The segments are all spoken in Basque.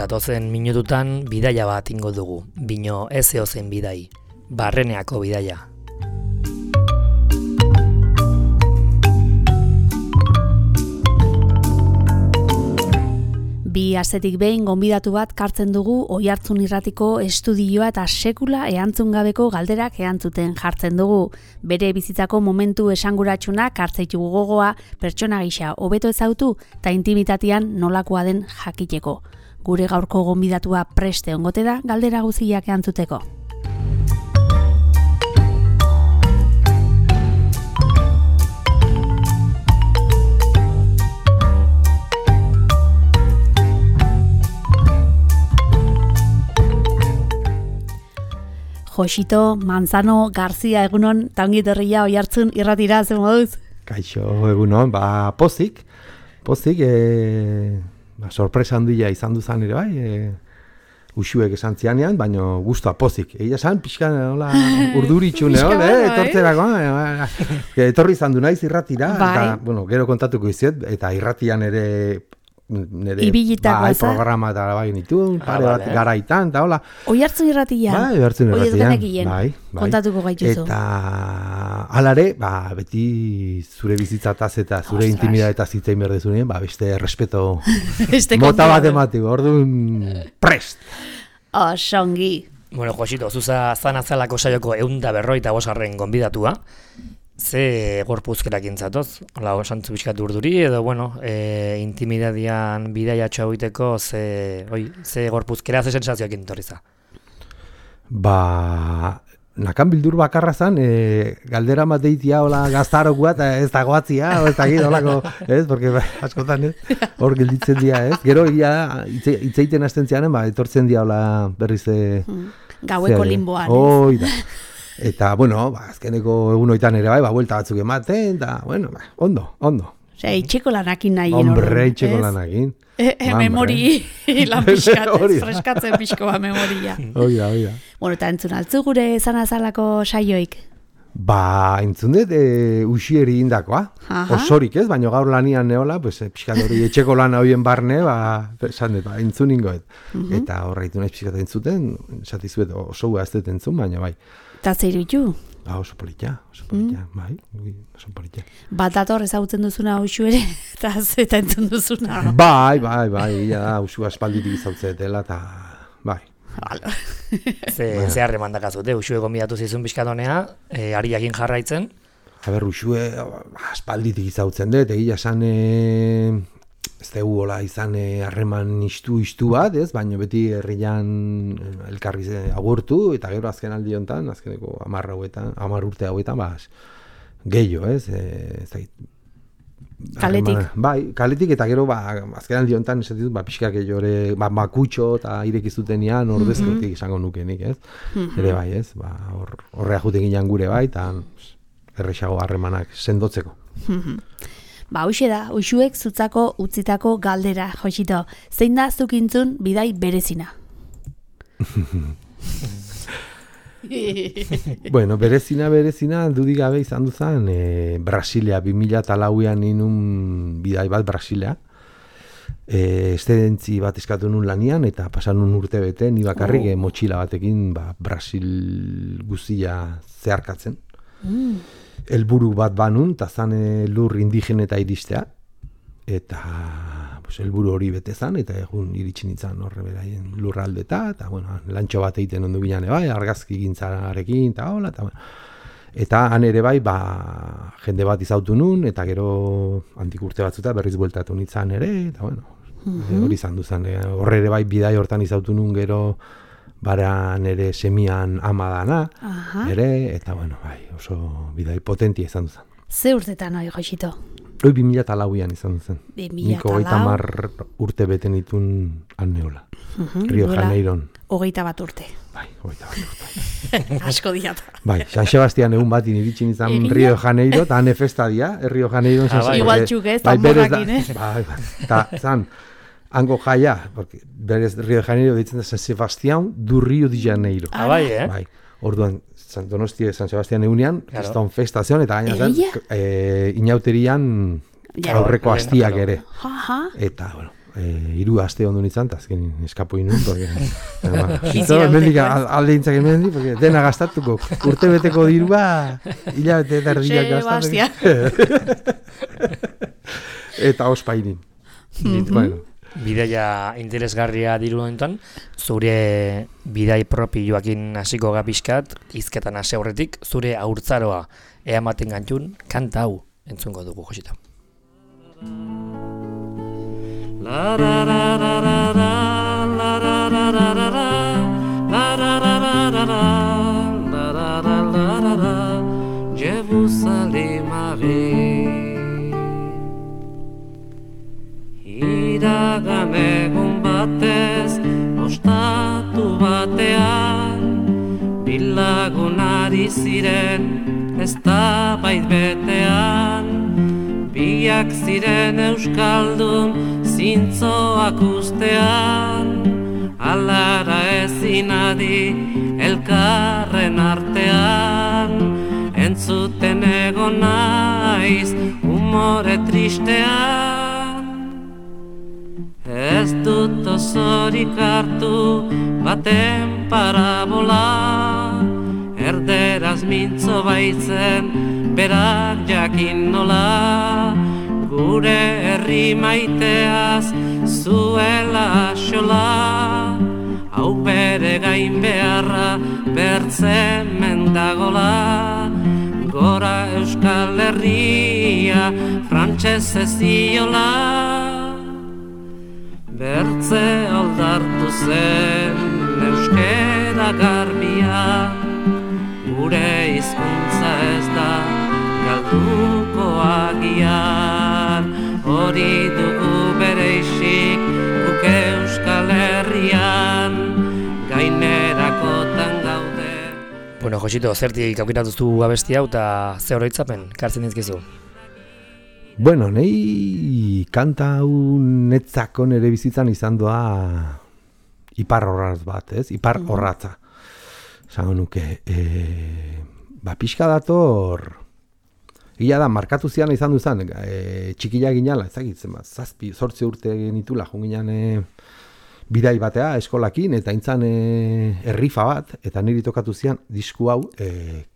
datozen minututan bidaia bat ingo dugu, bino ez eozen bidai, Barreneako bidaia. Bi astetik behin gonbidatu bat kartzen dugu Oihartzun Irratiko estudioa eta sekula erantzun gabeko galderak erantzuten jartzen dugu. Bere bizitzako momentu esanguratsunak hartzaitugu gogoa, pertsona gisa hobeto ezautu eta intimitatean nolakoa den jakiteko. Gure gaurko gonbidatua preste ongote da galdera guztiak erantzuteko. Josito Manzano Garzia egunon, eta ongi etorria Oihartzun Irratira, ze moduz? Kaixo, egunon, pozik, sorpresa handia izan duzan ere bai, usuek esan zianean, baina guztua pozik. Egia esan, pixka urduritxune, etortzerako, etorri izan du naiz irratira, eta, bueno, gero kontatuko iziet, eta irratian ere nire programa eta bai nituen, pare bat garaitan, eta hola. Oihartzun Irratia? Bai, Oihartzun Irratian. Bai. Kontatuko gaituzu. Eta alare, beti zure bizitzataz eta zure intimidatetaz hitzein behar dezunean, beste respeto mota bat ematiko, orduan prest. Osongi. Bueno, Josito, zuza zanazalako saioko 155. Gonbidatua. Ze gorpuzkerakin zatoz? Hola, osantzu bizkatu urduri, edo, bueno, intimidadian bidaiatxo egiteko ze gorpuzkera, ze sensazioekin torriza? Nakan bildur bakarra zan, galdera mateitia, hola, gaztarokua, eta ez dagoatzia, ez dakit, holako, ez, porque askotan, ez, hor gelditzen dira, ez, gero, itzeiten hasten zianen, etortzen dira, hola, berriz, gaueko limboan, ez. Eta, bueno, azkeneko egunoitan ere bai, buelta batzuk ematen, eta, bueno, ondo. Osea, itxeko lanakin nahi. Hombre, itxeko lanakin. Memori lan pixkatez, freskatzen pixkoa memoria. Oida. Bueno, eta entzun altzu gure zanazalako saioik? Entzun dut, usieri indakoa. Osorik ez, baina gaur lanian neola, pixkat hori etxeko lan horien barne, esan dut, entzun ingoet. Eta horreitu nahi pixkat entzuten, esatizuet oso ez dut entzun, baina bai. Eta zer ditu? Oso politia, bai, oso politia. Bat dator ezagutzen duzuna usu ere, eta entzun duzuna. Bai, usu aspalditik izautzen eta bai. Ze harreman dakazute, usue gonbidatu zizun bizkatonea, ariakin jarraitzen? Usue aspalditik izautzen dut, egia esan ez dugu hola izan harreman istu bat, ez? Baina beti herrian elkarri agurtu, eta gero azken aldi honetan, azkeneko 10 urte hauetan, gehiago, ez? Kaletik. Bai, kaletik, eta gero azken aldi honetan ez ditut, pixkak jore, makutxo eta irekizutenian ordezkotik izango nukenik, ez? Ere bai, ez? Horrea juten ginen gure bai, eta errexago harremanak sendotzeko. Hoxe da, usuek zutzako utzitako galdera, Josito. Zein da zukintzun bidai berezina? Bueno, berezina, dudik gabe izan duzan, Brasilia, 2004an inun bidai bat Brasilia. Estedentzi bat eskatu nun lanian, eta pasan nun urte bete, ni bakarrik motxila batekin Brasil guztia zeharkatzen. Helburu bat banun, eta zan lur indigeneta iristea, eta helburu hori bete zan, eta egun iritsin itzan horre beraien lurraldeta, eta lantxo bat egiten ondu bilan bai, argazki gintzarekin, eta hola, eta han ere bai, jende bat izautu nun, eta gero antik urte batzuta berriz bueltatu nintzen ere, eta hori izan duzan, horre ere bai bidai hortan izautu nun gero, bara nere semian ama dana, ere, eta oso bidai potentia izan duzan. Ze urtetan hori, Josito? 2004an izan duzen. Niko 30 urte beten itun anneola. Rio Janeiron. 21 urte. Bai, 21 urte. Asko diat. Bai, San Sebastian egun bat iritsin izan Rio Janeiro, eta hane festa dia, Rio Janeiron. Igual txuk ez, tamborrakin, Bai, eta zan, hango jaia, berez Rio de Janeiro ditzen da San Sebastián du Rio de Janeiro. Bai, orduan, Donostia San Sebastián egunean, kriston festazion, eta gaina inauterian aurreko hastiak ere. Eta, hiru aste ondo nintzen, eta azken eskapo inun, porque mendik alde intzak emendik, porque dena gastatuko, urte beteko dirua, hilabete eta erdiak gastatuko. Eta ospainin. Bueno. Bidaia interesgarria diru honetan, zure bidai propioakin hasiko gapiskat, hizketan hasi aurretik, zure haurtzaroa eamaten gantxun, kanta hau entzungo dugu, Josita. La la la la la la la la la la la la la la Jerusalemare Iragan egun batez ostatu batean bilagunari ziren eztabait betean biak ziren euskaldun zintzoak ustean alara ezin adi elkarren artean entzuten egon naiz umore tristean ez dut osorik hartu baten parabola erderaz mintzo baitzen berak jakin nola gure herri maiteaz zuela xola hau bere gain beharra bertzen mendagola gora Euskal Herria frantsesez ziola bertze aldartu zen euskera garbia gure hizkuntza ez da galduko agian hori dugu bereizik guk Euskal Herrian gainerakotan gaude. Bueno, Josito, zertik aukeratuzu abesti hau eta ze oroitzapen kartzen dizkizu? Bueno, nei kanta hau netzako nere bizitzan izan doa ipar horratz bat, ez? Ipar horratza. Zango nuke, pixka dator, gila da, markatu zian izan duzan, txikila ginala, ezagitzen bat, 7-8 urte genitula, junginan bidai batea eskolakin, eta intzan errifa bat, eta niri tokatu zian disku hau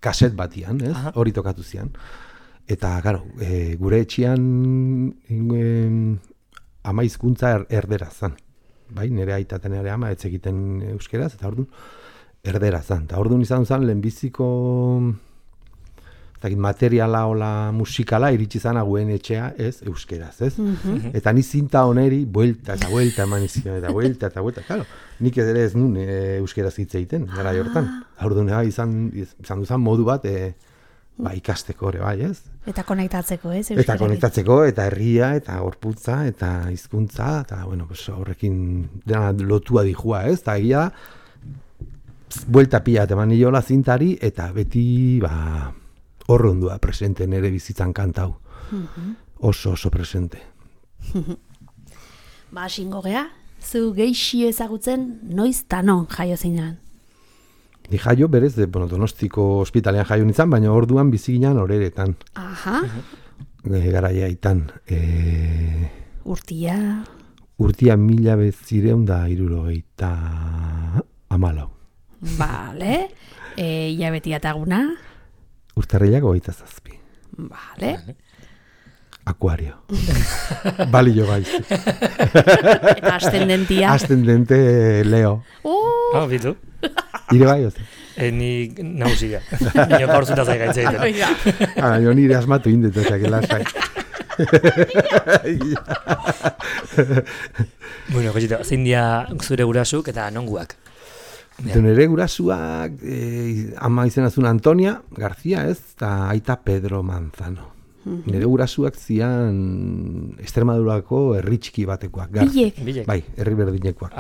kaset batian, ez? Hori tokatu zian. Eta, gero, gure etxian ama hizkuntza erdera zan. Bai, nire aita eta nire ama ez egiten euskeraz, eta orduan erdera zan. Eta orduan izan zen lehenbiziko materiala ola musikala iritsi zan aguen etxea ez euskeraz, ez? Eta ni zinta oneri buelta eta buelta eman izan, eta buelta, claro, nik ere ez nun euskeraz hitz egiten, gara jortan. Orduan izan duzan modu bat, ikasteko ere bai, ez? Eta konektatzeko, ez? Eta konektatzeko, eta herria, eta gorputza, eta hizkuntza, eta, bueno, horrekin dena lotua dijua, ez? Eta egia, buelta pila eman niola zintari, eta beti, horrondua presente nere bizitzan kantau. Oso presente. Singo gea, zu geixi ezagutzen noiz tanon jaio zinan? Ni jaio berez, Donostiko ospitalean jaio nintzen, baina orduan bizi ginen oreretan. Garaia itan. Urtia? Urtia 1974. Vale. Ilabetia taguna? Urtarrilak 27. Vale. Akuario. Balio gaiz. Eta ascendentia? Ascendente Leo. Bitu. Ire bai, oze? Ni nauzia. Nio gaurzuta zai gaitzeiten. Jo nire asmatu indetetak elasai. Bueno, Josito, zein dia zure gurasuk eta nonguak? Nire gurasuak, ama izenazun Antonia García, ez? Eta aita Pedro Manzano. Nire gurasuak zian Extremadurako herri txiki batekoak. Bilek? Bai, herri berdinekoak.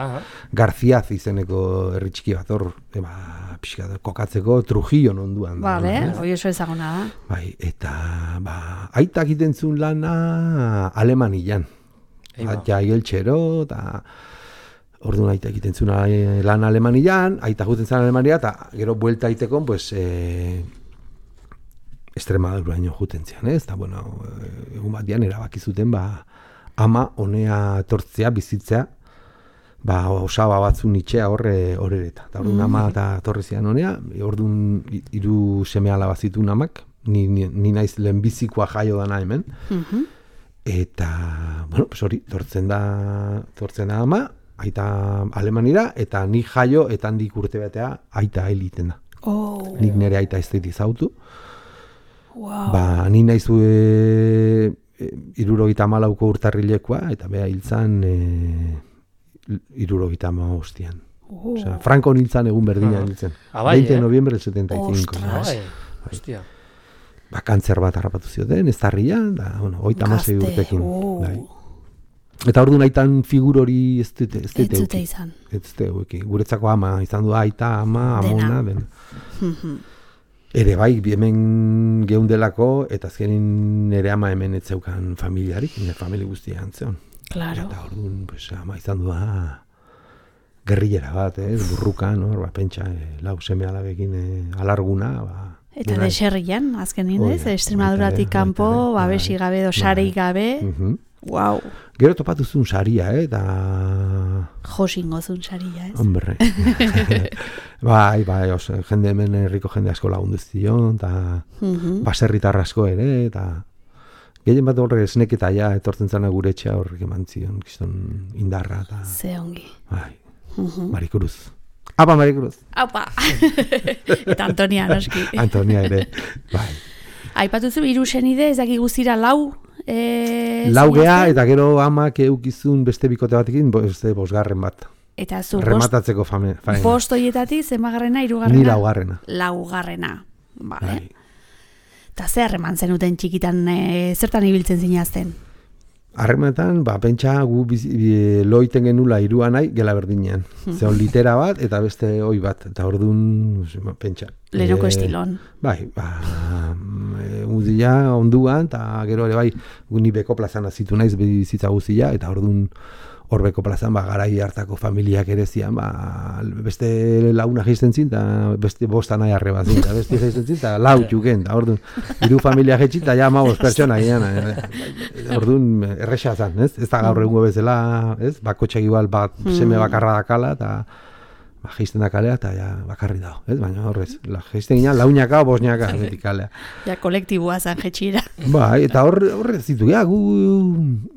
Garziaz izeneko herri txiki bat, hor, pixka kokatzeko Trujillo onduan. Bale, hori oso ezaguna da. Bai, eta, aitak itentzun lana Alemanian. Ja, Igeltxero, eta orduan aitak itentzun lan Alemanian, aitak guten zan Alemania, eta gero buelta aitekon, pues, Extremaduraino juten zian, ez? Eta, bueno, egun bat dian erabaki zuten, ama honea etortzea, bizitzea, osaba batzun itxea horreta. Eta orduan ama eta torrezian honea, orduan 3 seme-alaba zituen amak, ni naiz lehenbizikoa jaio dana hemen. Eta, bueno, pues hori, tortzen da ama, aita Alemanira, eta ni jaio, eta handik urte batea aita eliten da. Nik nire aita ez dut izautu. Ni naiz 74 urtarrilekoa, eta beha hiltzan 75. Osea, Franco hiltzan egun berdinan hiltzen. 20 de noviembre del 75. Hostia. Kantzer bat harrapatu zioten, ez tarrian, da, 36 urtekin. Eta orduan aitan figur hori ez dute izan. Ez dute, guretzako ama, izan du aita, ama, amona, dena. Ere bai, hemen geundelako, eta azkenin nire ama hemen ez zeukan familiarik, nire familia guztia antzeon. Claro. Eta orduan, pues, ama izan du, gerrillera bat, burrukan, pentsa, 4 seme-alabekin alarguna, eta deserrian, azkenin ez, Extremaduratik kanpo, babesi gabe, dosarei gabe, wow. Gero topatu zuen saria, eta... Josingo zuen saria, ez? Hombre. bai, jende hemen herriko jende asko lagundu zion, eta baserritar asko ere, eta... Gehien bat horre esneketa ja, etortzen zana gure etxea horrek eman zion, kiston indarra, eta... Ze ongi. Bai, Marikuruz. Apa, Marikuruz. Apa. Eta Antonia, noski. Antonia ere, bai. Aipatuzu 3 senide, ez daki guztira 4... Lau gea, eta gero amak eukizun beste bikote batekin, 5. bat. Eta zu, rematatzeko faena. 5 hoietatik, zemagarrena, 3. Ni 4. 4. Vale. Eta ze harreman zenuten txikitan, zertan ibiltzen zinazten? Harremanetan, pentsa gu loiten genula 3 nahi, gela berdinean. Zeon litera bat, eta beste oi bat. Eta orduan, pentsa. Leroko estilon. Bai, guztia onduan, eta gero ere bai, ni beko plazan azitu naiz bizitza guztia, eta orduan hor beko plazan, garai hartako familiak ere zian, beste launa geizten zin, eta beste 5 nahi arreba zin, eta beste geizten zin, eta 4 txuken, eta orduan, 3 familia jetxit, eta ja 5 pertsona ginean, orduan erresa zan, ez da gaur egungo bezala, ez, bakotxak igual seme bakarra dakala, eta geizten da kalea, eta ja bakarri dago, ez, baina horrez, geizten ginean 4 o 5 betik kalea. Ja kolektiboa zan jetxira. Bai, eta horrez zitu, gu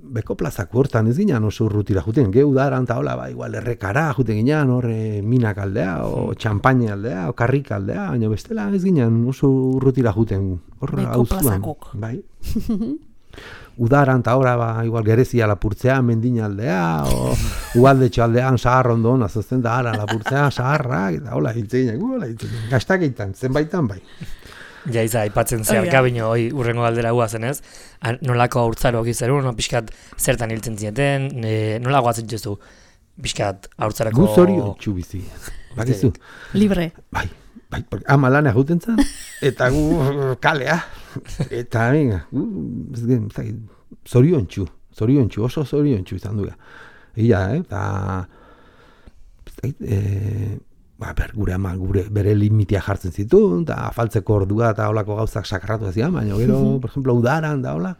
beko plazako hortan ez ginean oso urrutira juten, udaran eta hola, igual errekara juten ginean, horre minak aldea, o txampaine aldea, o karrik aldea, baina bestela ez ginean oso urrutira juten, horre hau zuan. Bai. Udaran eta horra, igual gerezia lapurtzea, mendina aldea, o ualdetxo aldean sahar ondoan, azazten da, lapurtzea, saharrak, eta hola, hiltzein, gaztakeitan, zenbaitan bai. Ja, aipatzen zeharka bino, urrengo galdera guazen ez, nolako haurtzaro gizeru, pixkat zertan hiltzen zineten, nola guatzen jezu, pixkat haurtzarako... Gu zorion txubizi, bakizu. Libre. Bai, ama lanea juten zan, eta gu kalea, eta zorion txu, oso zorion txu izan duga. Ia, eta... gure ama, bere limitia jartzen zituen, eta afaltzeko ordua eta holako gauzak sakratu zian, baina gero, por ejemplo, udaran da hola,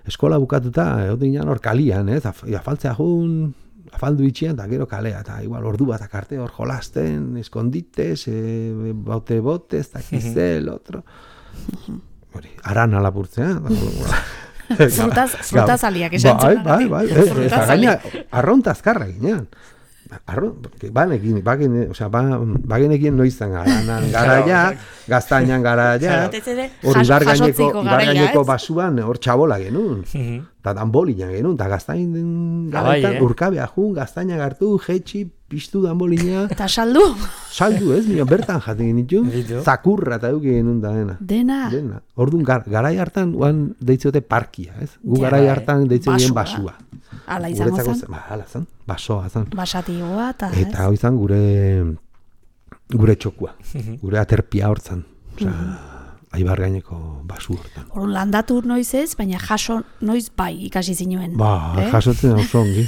eskola bukatuta, egoten hor kalian, afaltzea jun, afaldu itxian, eta gero kalea, eta igual ordu bat akarte hor jolasten, eskondites, bote-botez, eta kizel, otro. Arana lapurtzea, Frutaz aliak esan zuen. Bai, eta gaina, arronta azkarra ginean. Bagenekien noizan garaia, gaztainan garaia, hor ibargaineko basuan hor txabola genuen, eta danbolinan genuen, eta gaztain garaitan urkabea jun, gaztainak hartu, jetxi, piztu danbolina. Eta saldu? Saldu ez, bertan jaten genitu, zakurra eta duke genuen da dena. Dena? Orduan, garai hartan, deitzote parkia, ez? Gu garai hartan deitzote basua. Ala izango zen? Ala zen, basoa zen. Basatioa eta... Eta hau izan gure txokua, gure aterpia hortzan. Osa, aibar gaineko basu hortan. Horun landatu noiz ez, baina jaso noiz bai ikasi zinuen. Jasotzen oso ongi.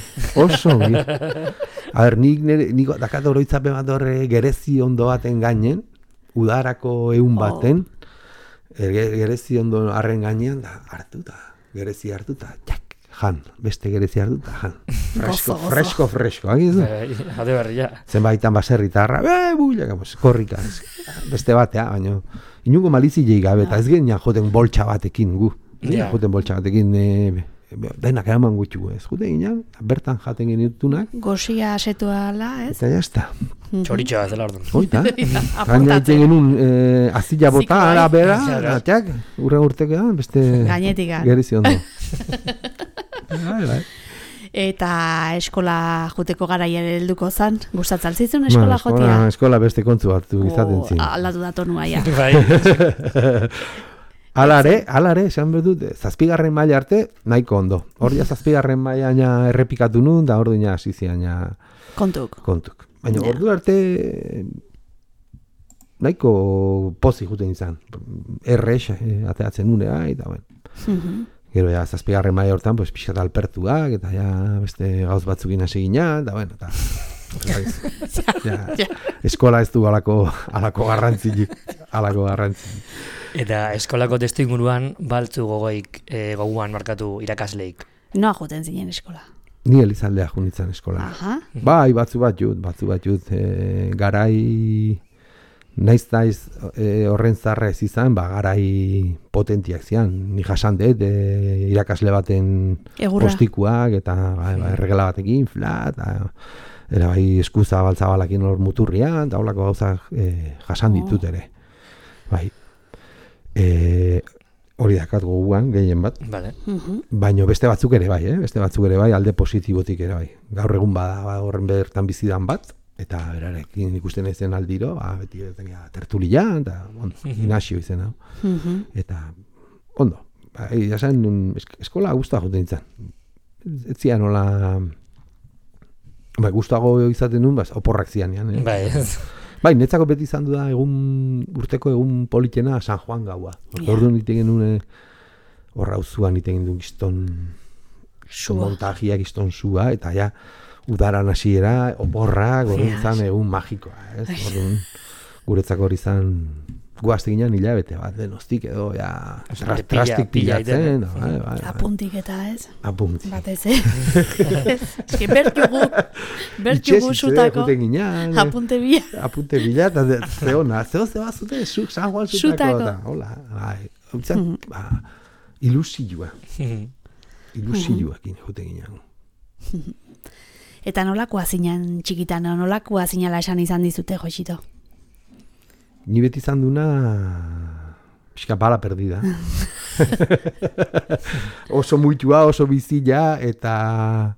A ber, nik dakat oroitzapen bat horre gerezi ondo baten gainen, udarako egun baten, gerezi ondo harren gainean, da hartuta, gerezi hartuta, jak. jan, beste gerezia hartu, eta jan. Gozo. Fresko, agizu? Ade berria. Zenbaitan baserritarra, builaka, korrika, beste batea, baina inungo malizilei gabe, eta ez genian joten boltsa batekin gu. Joten boltsa batekin, denak eraman gutxu, ez jute ginen, bertan jaten genitunak. Goxia asetu ala, ez? Eta jazta. Txoritxoa ez dela orduan. Oita, gaina iten genuen azila bota, ara bera, atxak, urtekean, beste Gainetika. gerizi ondo. Bai. Eta eskola juteko garaia helduko zan, gustatzen zizun eskola jotia? Eskola beste kontzu hartu izaten zin. Aldatu da tonua, ja. Bai. Alare, esan behar dut, 7. maila arte, nahiko ondo. Hor ja 7. maila errepikatu nun, da hor dina asiziaina Kontuk. Baina ordu arte nahiko pozik juten izan. Errex, ateatzen nunea, eta bueno. Gero ja, 7. maila hortan, pues, pixkat alpertuak, eta ja, beste gauz batzukin hasi gina, eta bueno, eta... Eskola ez du alako garrantzilik. Eta eskolako testu inguruan, baltzu gogoan markatu irakasleik. Noa joten zinen eskola? Ni Elizaldea junitzen eskola. Aha. Bai, batzu bat jut, garai... Naiz horren zarra ez izan, garai potentiak zian. Ni jasan dut, irakasle baten postikuak, eta erregela batekin, flat, era bai eskuza baltzabalakin hor muturrian, eta holako gauzak jasan ditut ere. Bai. Hori dakat goguan, gehien bat. Vale. Baina beste batzuk ere bai, alde positibotik ere bai. Gaur egun bada horren bertan bizidan bat, eta berarekin ikusten ezen aldiro, beti tertulia, eta Ignacio izena. Eta, ondo, jasen eskola guztua joten izan. Ez zian nola... Guztuago izaten nun, oporrak zian. Bai, netzako beti izan du da urteko egun politena San Juan gaua. Orduan iten genuen horra uzuan iten genuen gizton montajia, gizton sua, eta ja udaran hasiera, oporrak, gorrintzan egun magikoa. Orduan guretzako hori izan guazte ginen hilabete bat, denostik edo, trastik pilatzen. Apuntik eta ez? Apuntik. Batez, eski berkiugu zutako. Apunte bila. Apunte bila, eta zeona, zeba zute, San Juan zutako. Hola, ilusioa. Ilusioakin jute ginen. Eta nolakoa zinan txikitan, nolakoa zinala esan izan dizute, Joxito? Ni beti izan duna pixka bala perdida. Oso muitua, oso bizila, eta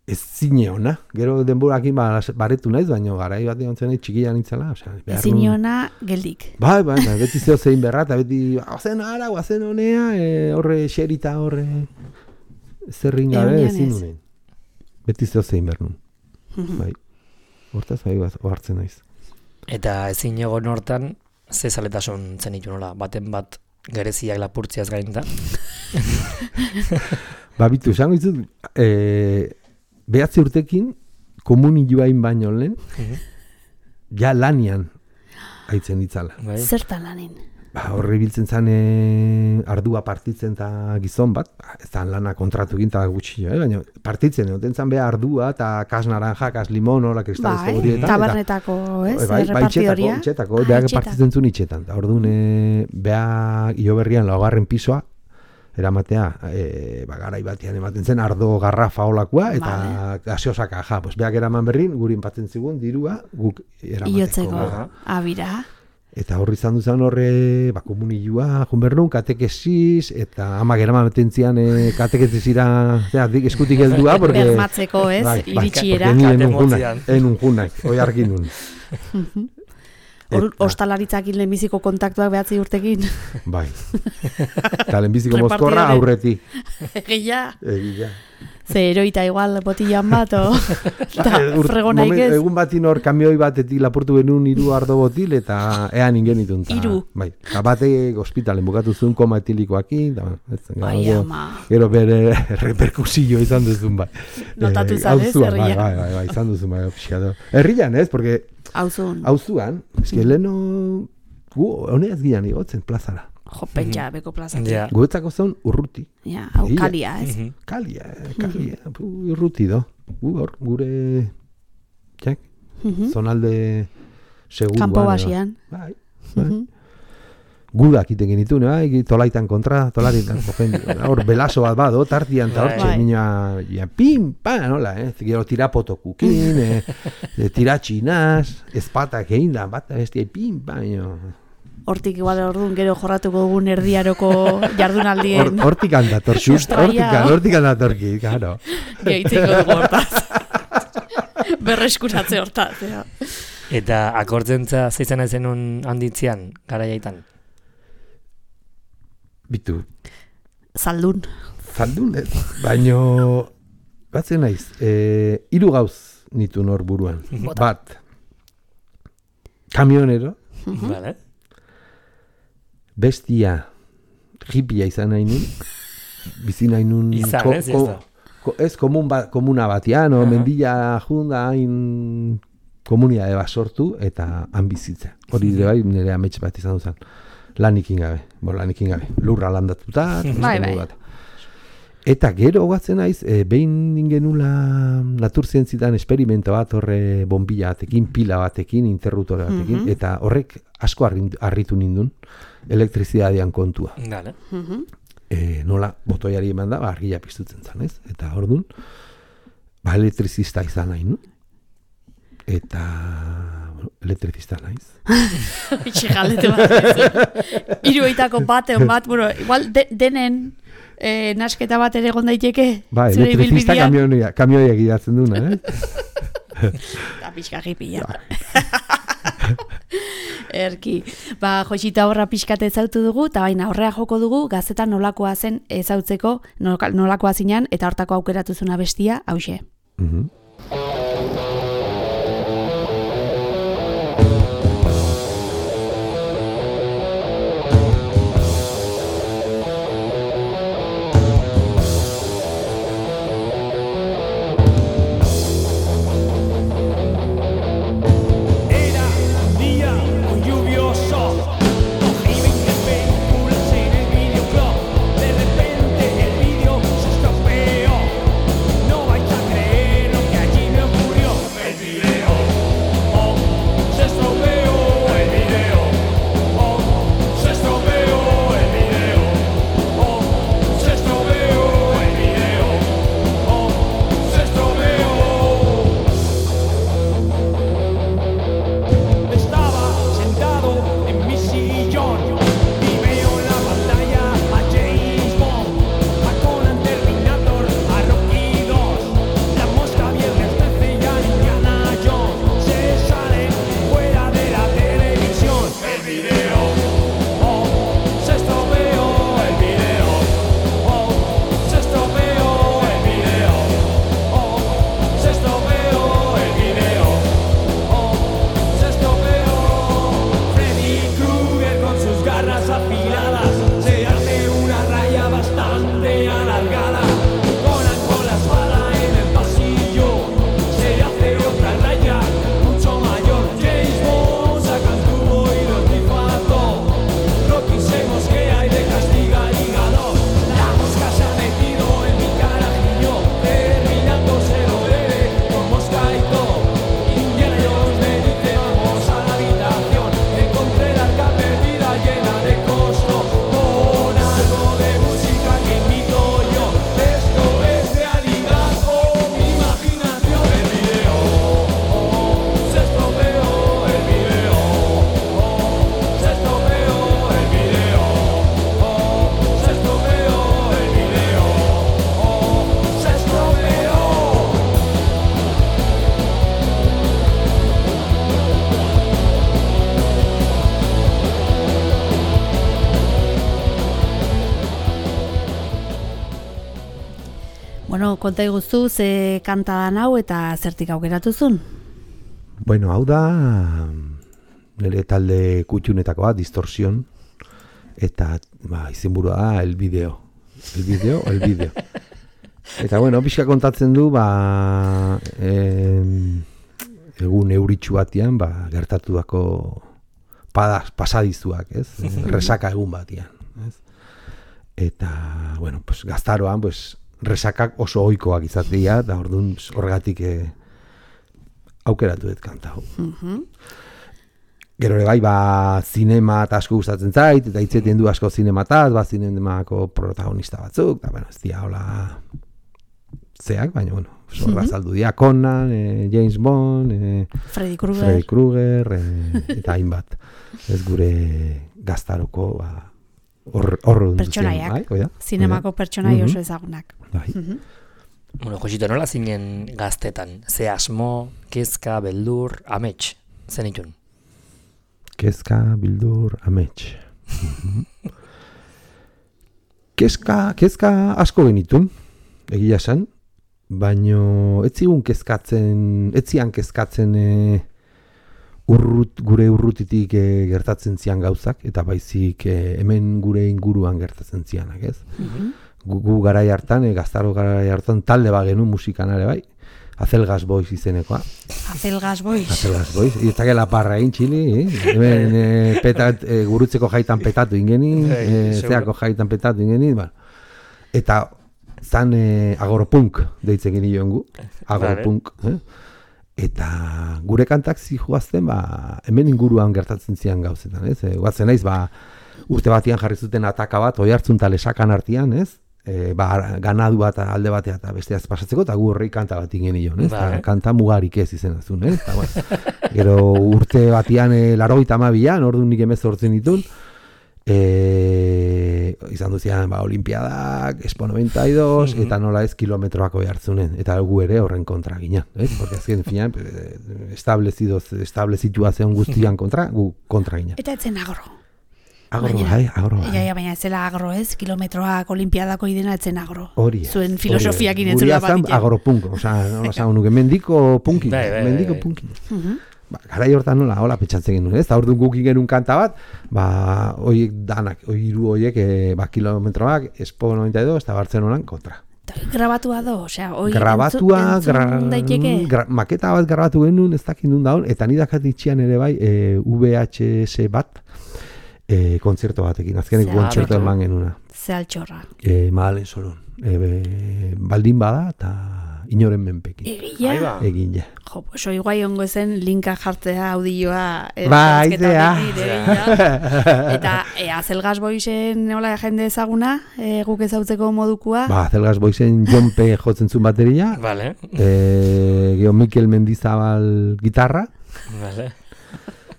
ez zine ona. Gero denborakin baretu naiz, baina garai bat egon zen txikia nintzela. Ez zine ona geldik. Bai, beti zeo zein berra, eta beti guazen ara, guazen honea, horre xerita, horre zerrin gabe ezin nunen. Beti zeo zein bernun. Bai, hortaz bai hartzen naiz. Eta ezin egon hortan, ze zaletasun zenitu nola, baten bat gereziak lapurtziaz gain da? Bitu, esango izut, 9 urtekin, komunioain baino lehen, ja lanian haitzen ditzala. Zertan lanin? Horre biltzen zen ardua partitzen eta gizon bat, ez da lana kontratu egin eta gutxi, baina partitzen, egoten zen beha ardua eta kas naranja, kas limon, hola kristalezko horietan. Tabernetako, ez? Repartidoria? Itxetako, beha partitzen zuen itxetan. Orduan, beha Ioberrian laugarren pisoa, eramatea, garai batean ematen zen ardo garrafa holakoa, eta gaseosaka, beak eraman berrin, gurin patzen zigun, dirua, guk eramateko. Iotzeko, abira. Eta horri izan duzan horre, komunioa, junbernun, katekesiz, eta ama geraman betentzian katekesizira, eskutik heldua, porque... Bermatzeko, ez, iritsiera. Enun junak, oi argin nun. Ostalaritzakin lehenbiziko kontaktuak behatzi urtekin. Bai. Eta lehenbiziko mozkorra aurreti. Egia. Ze eroita igual botillan bat, fregonaik ez. Egun batin hor kamioi batetik lapurtu genuen 3 ardo botil, eta ean ingen itun. 3? Bai. Batek hospitalen bukatu zuen koma etilikoakin. Bai, ama. Gero bere reperkusillo izan duzun, bai. Notatu zanez, herrian. Bai, izan duzun, bai, pixkado. Herrian ez, porque... Auzuan. Auzuan, eski leheno... Gu, honeaz gian igotzen plazara. Jo, pentsa, beko plazatik. Ja. Guetzako zen urruti. Ja, hau Ia. kalia, ez? Kalia. Urruti do. Hor, gure, txak, zonalde seguruan. Kampo basian. Bai. Gudak iten genitune, bai, tolaitan kontra, tolaitan kogen. Hor, belaso bat bado, tartian, eta hor, Bai. minua, pim, pa, nola, gero tirapotokukin, tiratxinaz, ezpatak egin da, bat, bestia, pim, pa, Hortik igual orduan gero jorratuko dugun erdiaroko jardunaldien. Hortik handator, just, hortik handatorki, claro. Gehitziko dugu hortaz. Berreskuratze hortaz. Ja. Eta akortzentza zeizan zenun handitzean, garaiaitan? Bitu, Zaldun. ez? Baino, batzen naiz, 3 gauz nitu nor buruan. Bat, kamionero, Vale. bestia, hippia izan nahi nun, bizi nahi nun, Izan, ez da. ez komuna batian, o mendila junda hain komunidade bat sortu, eta han bizitza. Hori ere bai, nire amets bat izan duzan. Lanikin gabe, lurra landatuta, Bai. bat. Eta gero gatzen naiz, behin genula naturzientzitan esperimento bat, horre bombilla batekin, pila batekin, interruptore batekin, eta horrek asko harritu nindun, elektrizidadean kontua. Vale. Nola, botoiari eman da, argia piztutzen zan, ez? Eta ordun, elektrizista izan nahi, no? Eta, elektrizista naiz. Itxe galete bat. 3 bateon bat, bueno, igual denen nasketa bat ere egon daiteke. Ba, zure elektrizista ibilbidean. kamioiak idatzen duna, Eta pixka jipia. Erki. Ba, Joxita horra pixkate ezautu dugu, eta baina horrea joko dugu, gazetan nolakoa zen ezautzeko, nolakoa zinan, eta hortako aukeratu zuna bestia, hauxe. Era un día muy lluvioso, cogí 20 películas en el videoclub. De repente el vídeo se estropeó. No vais a creer lo que allí me ocurrió. El video, oh, se estropeó el video. Oh, se estropeó el video. Oh, se estropeó el video. Oh, se estropeó. Estaba sentado en mi sillón y veo en la pantalla a James Bond, a Conan Terminator, a Rocky 2, la mosca viernes 13 y a Indiana Jones. Se salen fuera de la televisión. El video, oh, se estropeó el video. Oh, se estropeó el video. Oh, se estropeó el video. Oh, se estropeó. Freddy Krueger con sus garras afiladas se hace una raya bastante alargada. Conan con la espada en el pasillo se hace otra raya mucho mayor. James Bond saca el tubo y lo tifazo. Rocky se mosquea y le castiga el hígado. La mosca se ha metido en mi carajillo, Terminator se lo debe con mosca y todo. Indiana Jones me dice vamos a la habitación. Encontré la arca perdida llena de costo, con algo de música que invito yo. Esto es realidad o mi imaginación. El video, oh, se estropeó el video. Oh, se estropeó el video. Oh, se estropeó el video. Oh, se estropeó. Bueno, konta iguzu, ze kanta dan hau eta zertik aukeratuzun? Bueno, hau da nire talde kutxunetakoa, Distorsion, eta izenburua da el video. El video. Eta bueno, pixka kontatzen du, egun euritxu batian, gertatu dako pasadizuak, ez? Resaka egun batian. ez? Eta, bueno, pues, gaztaroan, pues, resakak oso ohikoak izatea, da orduan horregatik aukeratu dut kanta hau. Gero ere bai, zinema eta asko gustatzen zait, eta hitzetien du asko zinemataz, zinemako protagonista batzuk, eta, bueno, ez dira, hola, zeak, baina, bueno, zorra saldu dira, Conan, James Bond, Freddy Krueger, eta hainbat. Ez gure gaztaroko, horro pertsonaiak, zinemako pertsonai oso ezagunak. Bai. Bueno, Josito, nola zinen gaztetan? Ze asmo, kezka, beldur, amets, zen itun? Kezka, bildur, amets. Kezka asko genitun, egia esan, baino ez zian kezkatzen gure urrutitik gertatzen zian gauzak, eta baizik hemen gure inguruan gertatzen zianak, ez? Gu garai hartan, gaztaro garai hartan talde bagenu musikan ere bai, Azelgas Boys izenekoa. Azelgas Boys. Eta gela parra egin txili, hemen gurutzeko jaitan petatu ingeni, zeako jaitan petatu ingeni, eta zan agorpunk deitzen geni joan gu, agorpunk, eta gure kantak zijoazten, hemen inguruan gertatzen zian gauzetan, ez? Guatzen naiz, urte batian jarri zuten ataka bat, Oiartzun eta Lesakan artean, ez? Ganadu bat alde batea eta besteaz pasatzeko, eta gu horrei kanta bat ingen nion, ez? Kanta mugarik ez izenazun, ez? Gero urte batian 92an, orduan nik 18 ditun, izan duzian olimpiadak, Expo 92, eta nola ez kilometroak Oiartzunen, eta gu ere horren kontra ginen, ez? Porque azken finan, establezitua zeon guztian kontra, gu kontra ginen. Eta etzen agro. Agro. Baina ez zela agro ez, kilometroak olimpiadako idena etzen agro. Hori. Zuen filosofiakin ez zula bat ditzen. Agropunk, nuke, mendiko punkin. Garai hortan nola, hola petxatzen genuen, ez? Orduan guk genuen kanta bat, oiek danak, hiru oiek, kilometroak, Expo 92, eta Bartzelonan kontra. Grabatua do, entzun daiteke? Maketa bat grabatu genuen, ez dakit nun daun, eta nidakat itxian ere bai, VHS bat, kontzerto batekin, azkenek kontzerto eman genuna. Ze altxorra. Madalen Solon. Baldin bada eta inoren menpekin. Egin ja. Jo, pues hoi guai ongo zen linka jartzea audioa. Aizea. Eta Azelgas Boysen nola jende ezaguna, guk ezautzeko modukua. Azelgas Boysen Jonpe jotzen zuen bateria. Vale. Geo Mikel Mendizabal gitarra. Vale.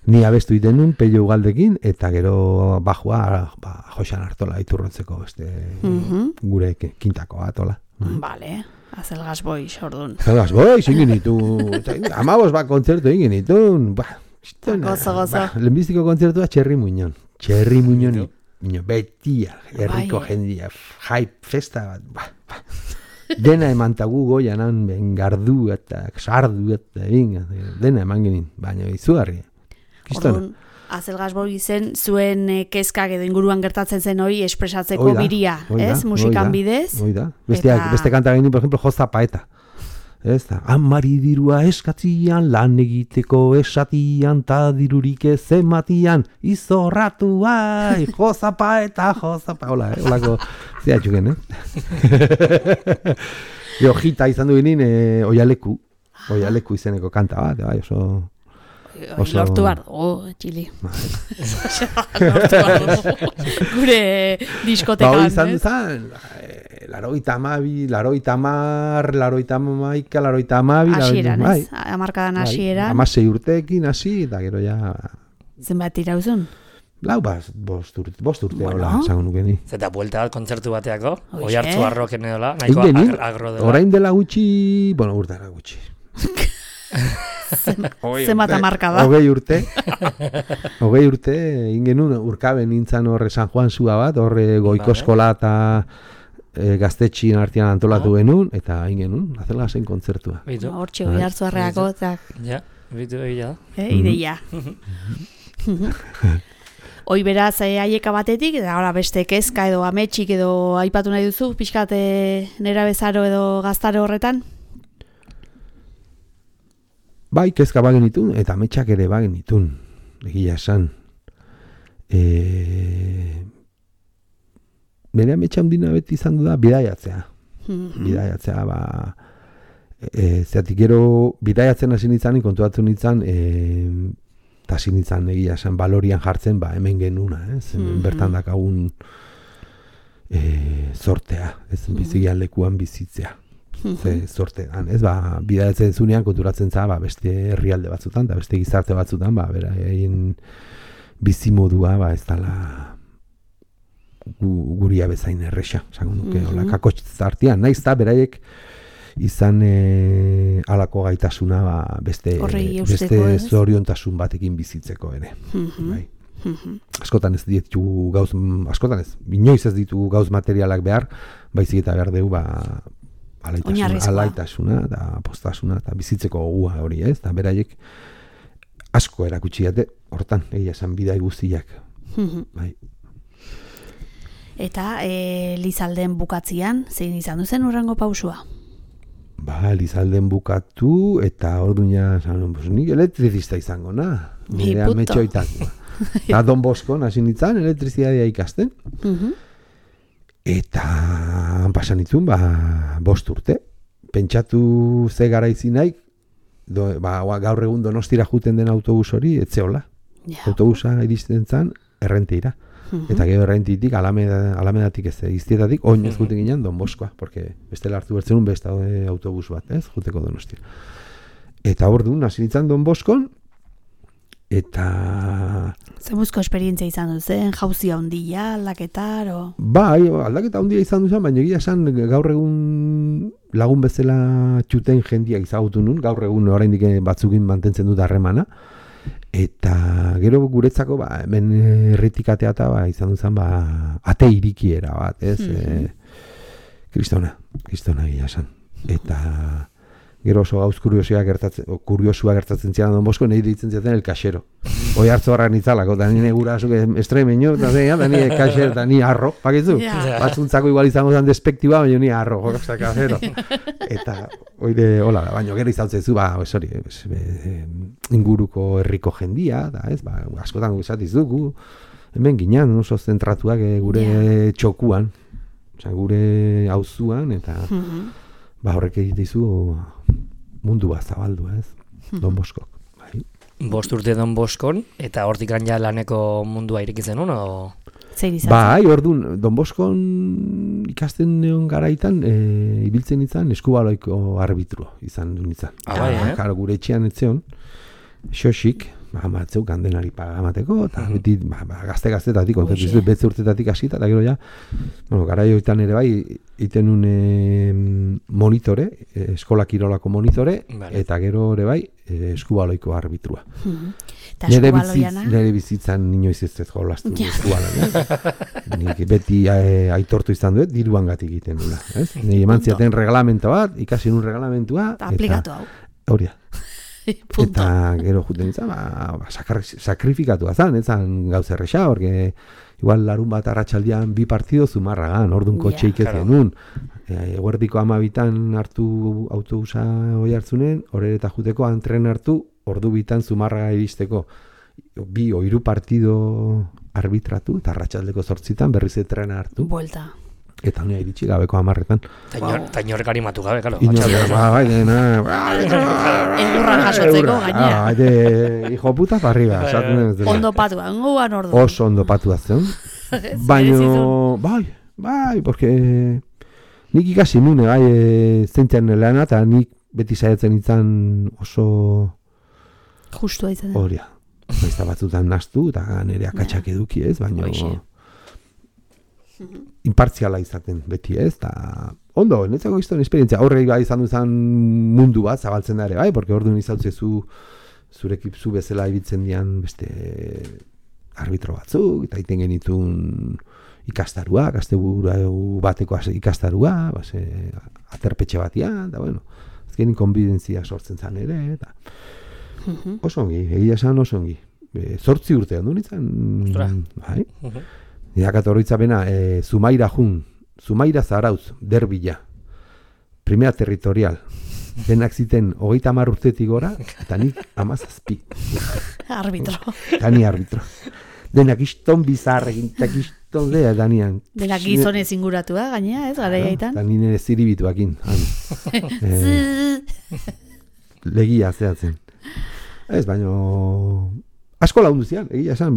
Ni abestu itenun, Pello Ugaldekin, eta gero bajua Joxan Artola iturrotzeko gure kintako atola. Vale, Azelgas Boys, orduan. Azelgas Boys, ingin ditu. 15 kontzertu ingin ditun. Gozo. Lehenbiztiko kontzertua Txerri Muñon. Txerri Muñon, betia, herriko jendia, hype, festa bat. Dena emantagu goianan, gardu eta sardu eta dena eman genin, baina izugarri. Orduan, Azelgas Boysen zuen kezkak edo inguruan gertatzen zen hori espresatzeko biria, ez? Musikan bidez. Beste kanta genin, por ejemplo, Joza Paeta. Amari dirua eskatzian, lan egiteko esatian, ta dirurik ez ematian, izorratu bai, Joza Paeta, holako zehatxuken, Jita izan du ginen, Oialeku izeneko kanta bat, oso... Lortu behar txili. Lortu behar gure diskotekan. Izan duzan, 82, 82, hasieran, ez? Amarkadan hasieran. 16 urteekin hasi, eta gero ja... Zenbat irauzun? Bost urte hola, esango nukeni. Zeta buelta bat kontzertu bateako, Oiartzu arroken edola, nahiko agro dela. Orain dela gutxi, urtara gutxi. Zenbat amarkada. 20 urte, ingenun urkaben nintzen horre San Juan zua bat, horre Goiko Eskola eta gaztetxin artean antolatu genuen, eta ingenun, Azelgasen kontzertua. Hortxe, Oiartzu arreako, eta... Ja, bitu egia. Ideia. Hoi beraz, aieka batetik, eta beste kezka edo ametxik edo aipatu nahi duzu, pixkat nera bezaro edo gaztaro horretan? Bai, kezka bagen itun, eta ametxak ere bagen itun, egia esan. nire ametsa handina beti izan du da bidaiatzea. Bidaiatzea, zeatik gero bidaiatzen hasi nintzen, kontuatu nintzen, eta hasi nintzen egia esan balorian jartzen, hemen genuna, bertan dakagun zortea, ez bizigian lekuan bizitzea. Zortean, ez, bidaiatzen zunean konturatzen za, beste herrialde batzutan, eta beste gizarte batzutan, beraien bizimodua, ez dala guria bezain erresa, esango nuke, hola, kakotxartian, naiz da, beraiek izan halako gaitasuna, beste zoriontasun batekin bizitzeko ere. Bai. Askotan ez ditugu gauz, inoiz ez ditugu gauz materialak behar, baizik eta behar dugu, alaitasuna, eta postasuna, eta bizitzeko gogua hori, ez? Eta beraiek asko erakutsi dute, hortan, egia esan bidai guztiak. Bai. Eta Lizalden bukatzian, zein izan duzen urrengo pausua? Lizalden bukatu, eta orduina, nik elektrizista izango, nire ametxoitako. Eta Don Boskon hasi nintzen elektrizitatea ikasten. Eta pasan nitzun, 5 urte. Pentsatu ze garaizi nahi, gaur egun Donostira juten den autobus hori, etzeola. Autobusa iristen zen, errenteira. Eta gero errentitik, alamedatik ez, iztietatik, oinez juten ginen Don Boskoa, porque bestela hartu bertzen beste autobus bat, ez, juteko Donostira. Eta orduan, hasi nintzen Don Boskon, eta... Zemuzko esperientzia izan duzen, jauzia handia, aldaketar, o... Aldaketa handia izan duzen, baina egia esan gaur egun lagun bezala txuten jendia izagutu nun, gaur egun oraindik batzukin mantentzen dut harremana, eta gero guretzako, hemen herritik ateata, izan duzen, ate irikiera bat, ez? Kristona egia esan. Eta... Gero oso gauz kuriosua gertatzen zian Don Bosko, nahi ditzen ziaten el kaxero. Hoi hartzo harrak nitzalako, eta nire gurasuk estremeño, eta nire kaxero, eta nire arro, pakitzu? Batzuntzako igual izango zen despektiba, baina nire arro, jokazta kaxero. Eta, oide, hola, baina gero izautzen zu, inguruko herriko jendia, da, ez, askotan guzatiz dugu, hemen ginean, oso zentratuak gure txokuan, gure auzuan, eta... horrek egitizu mundu bat zabaldu, ez? Don Boskok. 5 urte Don Boskon, eta hortik ja laneko mundua irekitzen hon, o? Zer izan? Orduan, Don Boskon ikasten neon garaitan, ibiltzen izan eskubaloiko arbitro izan du izan. Karo, gure etxean etzeon, xosik, batzeu kandenari pagamateko, eta beti gazte-gaztetatik, betze urtetatik hasita, eta gero ja, garaioetan ere bai, iten un monitore, eskola kirolako monitore, eta gero ere bai, eskubaloiko arbitrua. Nire bizitzan inoiz ez jolaztu eskubaloia. Nik beti aitortu izan duet, diruan gatik egiten dula. Nire eman ziaten reglamento bat, ikasi nun reglamentua, eta aplikatu hau. Hauria. Eta gero juten izan, sakrifikatua zan, ez zan gauz erresa, porque igual larun bat arratsaldean 2 partido Zumarragan, orduan kotxe iketzen nun. Eguerdiko 12 hartu autobusa hoi hartzunen, horreta juteko antren hartu, ordu 2 Zumarraga iristeko 2 o 3 partido arbitratu, eta arratsaldeko 8 berriz trena hartu. Buelta. Eta honia iritsi gabeko 10etan. Ta inork animatu gabe, karo. Egurran jasotzeko gainera. Hijo puta para arriba. Ondo patua, guan ordu. Oso ondo patua zen. Baina, porque nik ikasi nune, zeintzen lana, eta nik beti saiatzen izan oso... Justua izan. Horia. Baizta batzutan naztu, eta nire akatsak eduki ez, baina... Impartziala izaten beti ez, eta ondo, netzako izan esperientzia, horrek bai izan duzan mundu bat zabaltzen da ere, bai, porque orduan izautzezu zurekip zu bezala ibiltzen dian beste arbitro batzuk, eta iten genitun ikastarua, gazteburu bateko ikastarua, aterpetxe batian, eta bueno, azkenin konbidentzia sortzen zan ere, eta oso ongi, egia esan oso ongi. 8 urte handu nintzen, bai? Nidakat horretzapena, Zumaira Zarauz, Derbila, primera territorial, denak ziten 30 urtetik gora, eta nik 17. Arbitro. Eta ni arbitro. Denak iston bizarrekin, eta iston lea danian. Denak gizonez inguratua, gainea, ez, gara jaitan. Eta nire ziribituakin. Legia zehatzen. Ez, baino... Asko lagundu zian, egia esan,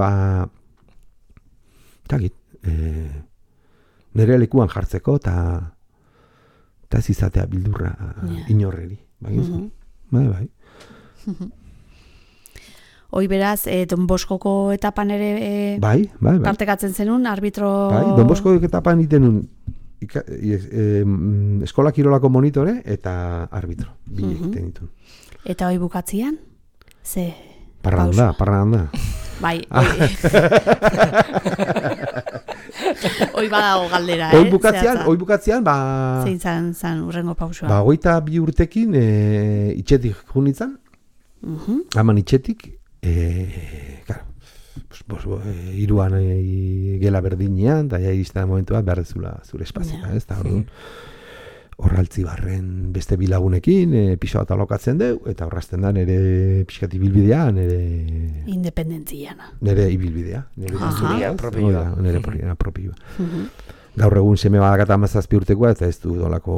nire lekuan jartzeko, eta ez izatea bildurra inorreri. Bai. Hoi beraz, Don Boskoko etapan ere bai. partekatzen zenun, arbitro... Bai, Don Bosko etapan itenun eskola kirolako monitore eta arbitro. Bi egiten ditun. Eta hoi bukatzian? Ze... Parranda. Bai, hoi badago galdera, Hoi bukatzean, zein zan urrengo pausua? 22 urtekin itxetik junitzen, haman itxetik, iruan gela berdinean, eta iristen momentu bat behar dezula zure espazioa, ez da orduan. Horraltzi barren beste bilagunekin, piso bat alokatzen deu, eta horrazten da nire pixkat ibilbidea, nire... Independentziana. Nire ibilbidea. Nire propioa. Gaur egun seme badakata 17 urtekoa, eta ez du dolako...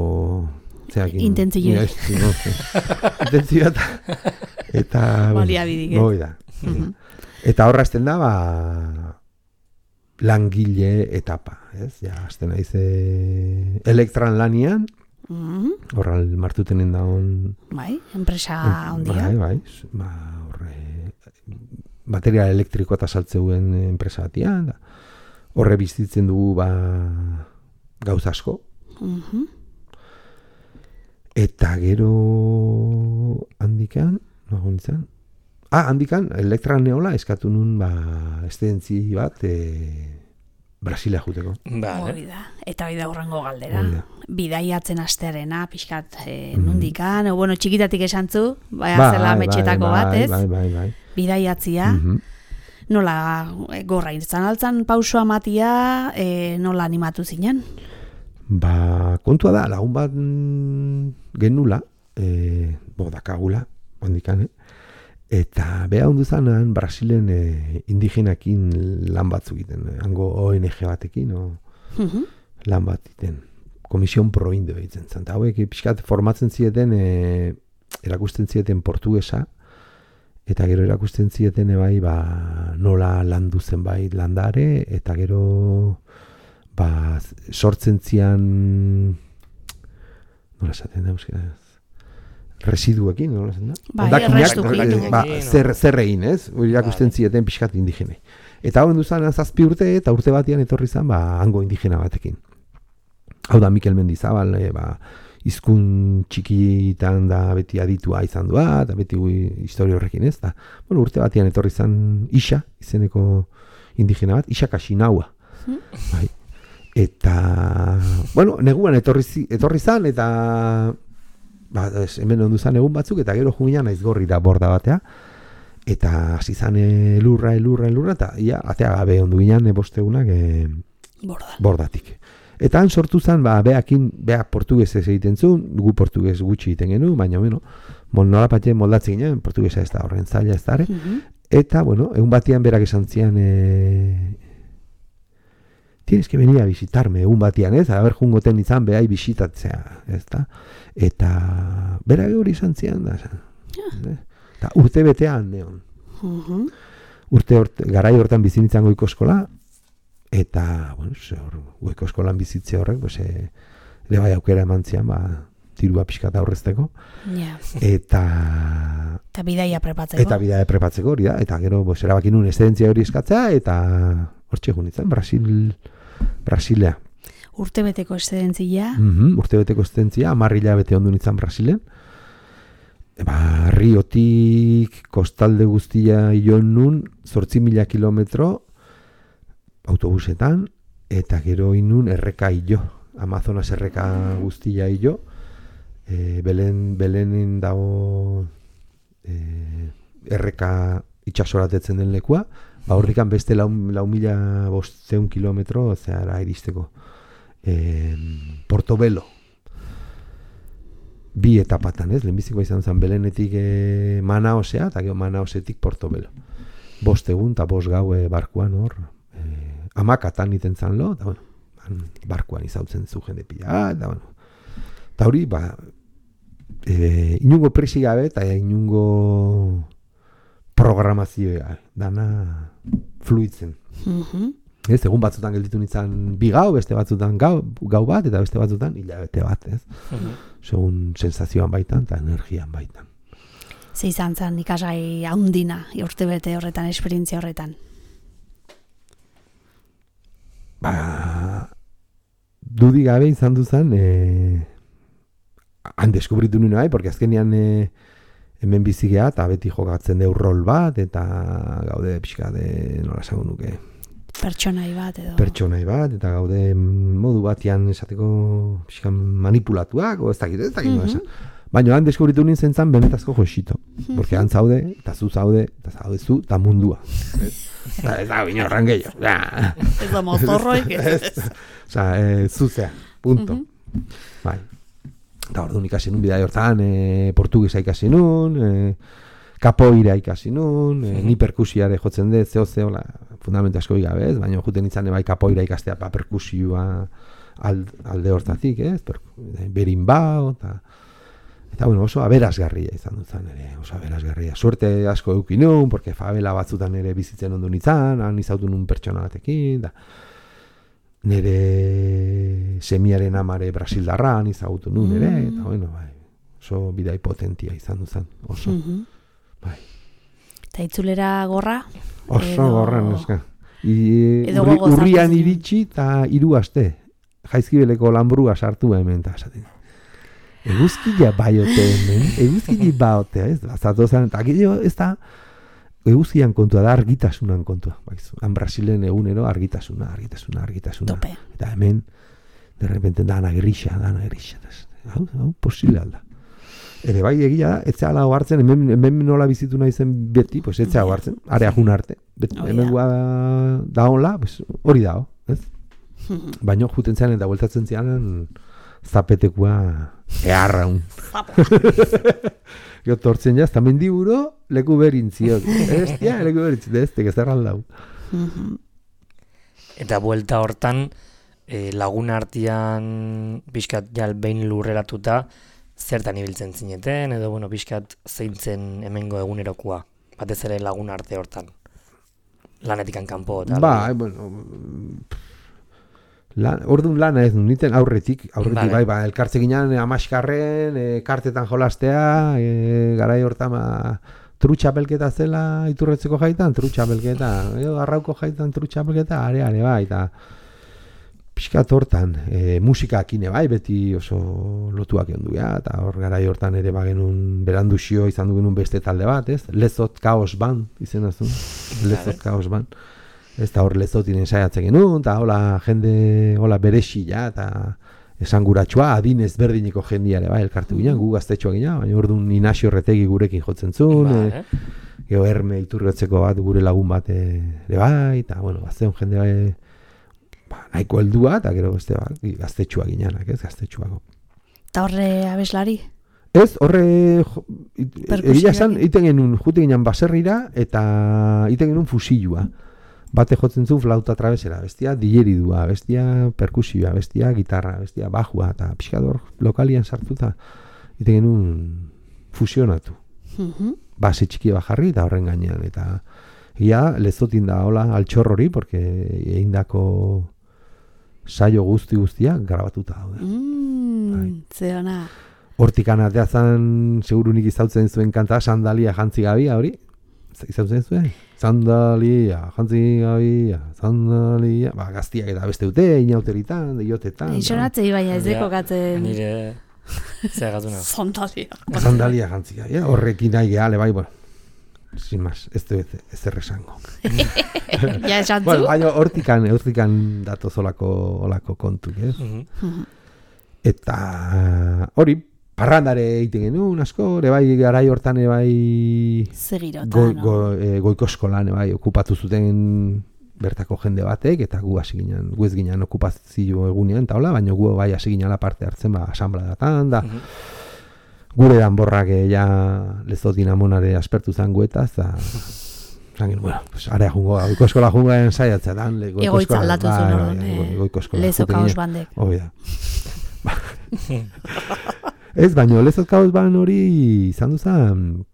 Intentzio. Intentzio eta... Baliabidik, Eta horrazten da, langile etapa, ez? Ja, azten naiz elektran lanian, horral martutenen daun... Bai, enpresa ondia. Bai, material elektrikoa eta saltzeuen enpresa batian, horre bizitzen dugu gauz asko. Eta gero handikan, handikan, elektran neola eskatu nun estedentzi bat Brasilea juteko. Eta hori da urrengo galdera. Bidaiatzen astearena, pixkat nundikan, txikitatik esantzu, zela metxetako bat, ez? Bai. Bidaiatzia, nola gorra irtzan altzan pausua matia, nola animatu zinen? Kontua da, lagun bat genula, dakagula, handikan, eta beha hundu zanan Brasilen indigenakin lan batzuk egiten, hango ONG batekin, lan bat egiten, Komision Pro Indio egiten zen, eta hauek pixkat formatzen zieten, erakusten zieten portugesa, eta gero erakusten zieten nola landu zen landare, eta gero sortzen zian, nola esaten da euskara, residuekin, nola esaten da? Zer egin, ez? Irakusten zieten pixkat indigene. Eta hau duzan 7 urte, eta urte batian etorri zen, hango indigena batekin. Hau da Mikel Mendizabal, hizkun txikitan da beti aditua izan dua, eta beti historia horrekin, ez? Urte batian etorri zen Isa, izeneko indigena bat, Isa Kasinaua. Eta, neguan etorri zen, eta hemen ondu zen egun batzuk, eta gero juminan aizgorri da borda batea, eta hasi zan elurra, eta atea gabe ondu ginen bostegunak bordatik. Eta han sortu zen, beak portugesez egiten zuen, gu portuges gutxi egiten genu, baina, nola patxe moldatzen ginen, portugesa ez da horren zaila ez da, eta, egun batian berak esan zian, tienes que venir a visitarme egun batian, ez? A ber jungoten izan behai bisitatzea, ez da? Eta berak hori izan zian da, eta urte betean neon. Garai hortan bizinitzan goiko eskola, eta, goiko eskolan bizitze horrek, ere bai aukera eman zian, tirua pixkat aurrezteko. Eta bidaia prepatzeko. Eta bidaia prepatzeko hori da, eta gero erabakin nun eszedentzia hori eskatzea, eta hortxe junitzen, Brasilea. Urtebeteko eszedentzia? Urtebeteko eszedentzia, 10 hilabete ondu nintzen Brasilen. Riotik kostalde guztia joan nun, 8.000 kilometro autobusetan, eta gero inun erreka hilo, Amazonas erreka guztia hilo, Belenen dago erreka itxasoratetzen den lekua, horrikan beste 4.500 kilometro zehara iristeko. Portobelo. 2 etapatan, ez? Lehenbizikoa izan zen Belenetik Manaosea, eta gero Manaosetik Portobelo. 5 egun eta 5 gau barkuan hor, amakatan iten zan lo, eta bueno, barkuan izautzen zu jende pila, eta bueno, eta hori, inungo presi gabe eta inungo programazioa dana fluitzen. Ez, egun batzutan gelditu nintzen 2 gau, beste batzutan gau bat, eta beste batzutan hilabete bat, ez? Segun sensazioan baitan eta energian baitan. Ze izan zen ikasgai haundina urtebete horretan, esperientzia horretan? Dudi gabe izan duzan, han deskubritu nuen bai, porque azkenean hemen bizigea eta beti jokatzen deu rol bat, eta gaude pixka de, nola esango nuke, Pertsonai bat, eta gaude modu batean esateko pixka manipulatuak, o ez dakit nola esan. Baina han deskubritu nintzen zan benetazko joxito. Porque han zaude, eta zu zaude, eta mundua. Ez da, binorran gehiago. Ez da mozorroik. Zuzea, punto. Bai. Eta orduan ikasi nun, bidai hortan, portugesa ikasi nun, kapoira ikasi nun, ni perkusiare jotzen dut, zeo, fundamentu asko gabe, ez? Baina juten izan bai kapoira ikastea perkusioa alde hortatik, ez? Berimbau, eta bueno, oso aberasgarria izan dut zan ere, oso aberasgarria. Suerte asko eukin nun, porque favela batzutan ere bizitzen ondo nintzen, han izautu nun pertsona batekin, da nere semiaren amare brasildarran izautu nun ere, eta bueno, bai, oso bidai potentia izan dut zan, oso. Bai. Eta itzulera gorra? Oso gorra, neska. Urrian iritsi eta 3 aste. Jaizkibeleko lanbrua sartu hemen, eta esaten. Eguzkia baiote hemen, eguzkia baiote, ez? Azatozan, eta gero ez da, eguzkian kontua da, argitasunan kontua. Han Brasilen egunero argitasuna. Tope. Eta hemen, de repente, dana grisa. Hau, posible alda. Ere bai egia da, etzea lau hartzen, hemen nola bizitu nahi zen beti, pues etzea lau hartzen, area jun arte. Hemen da honla, pues, hori dao, ez? Baina juten zean eta bueltatzen zean, zapetekua eharraun. Gero tortzen jaz, eta mendiburo, leku berintziok. Leku berintziok, ez tekezerran lau. Eta buelta hortan, lagun artean pixkat jal behin lurreratuta, zertan ibiltzen zineten, edo, bueno, pixkat zeintzen hemengo egunerokoa, batez ere lagun arte hortan. Lanetikan kanpo, eta... bueno... Orduan lana ez, niten aurretik bai, elkartze ginen amaskarren, kartetan jolastea, garai hortan trutxapelketa zela iturretzeko jaitan, trutxapelketa, arrauko jaitan trutxapelketa, are bai, eta pixkat hortan, musikakine bai, beti oso lotuak onduia, eta hor garai hortan ere bagenun beranduzio izan dugenun beste talde bat, ez? Lezot Kaos Band, izena zuen, Lezot Kaos Band. Ez da hor lezotin ensaiatzen genuen, eta hola jende, hola berexila, eta esanguratsua, adin ezberdineko jendiare, bai, elkartu ginen, gu gaztetxoa ginen, baina orduan Inazio Retegi gurekin jotzen zuen, gero Herme Iturriotzeko bat gure lagun bat ere bai, eta, bueno, gazteon jende bai, nahiko heldua, eta gero beste bat, gaztetxoa ginenak, ez, gaztetxoako. Eta horre abeslari? Ez, horre, egia esan, iten genuen, jute ginen baserrira, eta iten genuen fusilua. Bate jotzen zuen flauta travesera, bestia digeridua, bestia perkusioa, bestia gitarra, bestia bajua, eta pixkador lokalian sartuta, ite genuen fusionatu. Base txiki bajarri eta horren gainean, eta ia lezotin da hola altxor hori, porque eindako saio guztia grabatuta daude. Zeona. Hortikan atea zan, segurunik izautzen zuen kanta, sandalia jantzi gabia hori, izautzen zuen? Sandalia, jantzi gabia, sandalia, gaztiak eta beste dute, inauteritan, deiotetan. Isonatzei baina ez deko gatzen. Nire, zehagatuna. Sandalia jantzi gabia, horrekin nahi gehala, bai, bueno, sin más, ez erresango. Ja esantzu? Bueno, baina hortikan datoz olako kontuk, ez? Eta hori, parrandare egiten genuen asko, bai garai hortan bai goiko eskolan bai okupatu zuten bertako jende batek, eta gu hasi ginen, gu ez ginen okupazio egunean, eta hola, baina gu bai hasi ginen parte hartzen asanbladatan, da gure danborrak ja lezotin amonare aspertu zango eta Zangen, bueno, pues area jungo, goiko eskola jungoen saiatzea dan. Egoitza aldatu zuen orduan, goiko eskola. Lezo kaos bandek. Hoi da. Ez, baina Lezo kaos ban hori izan duzan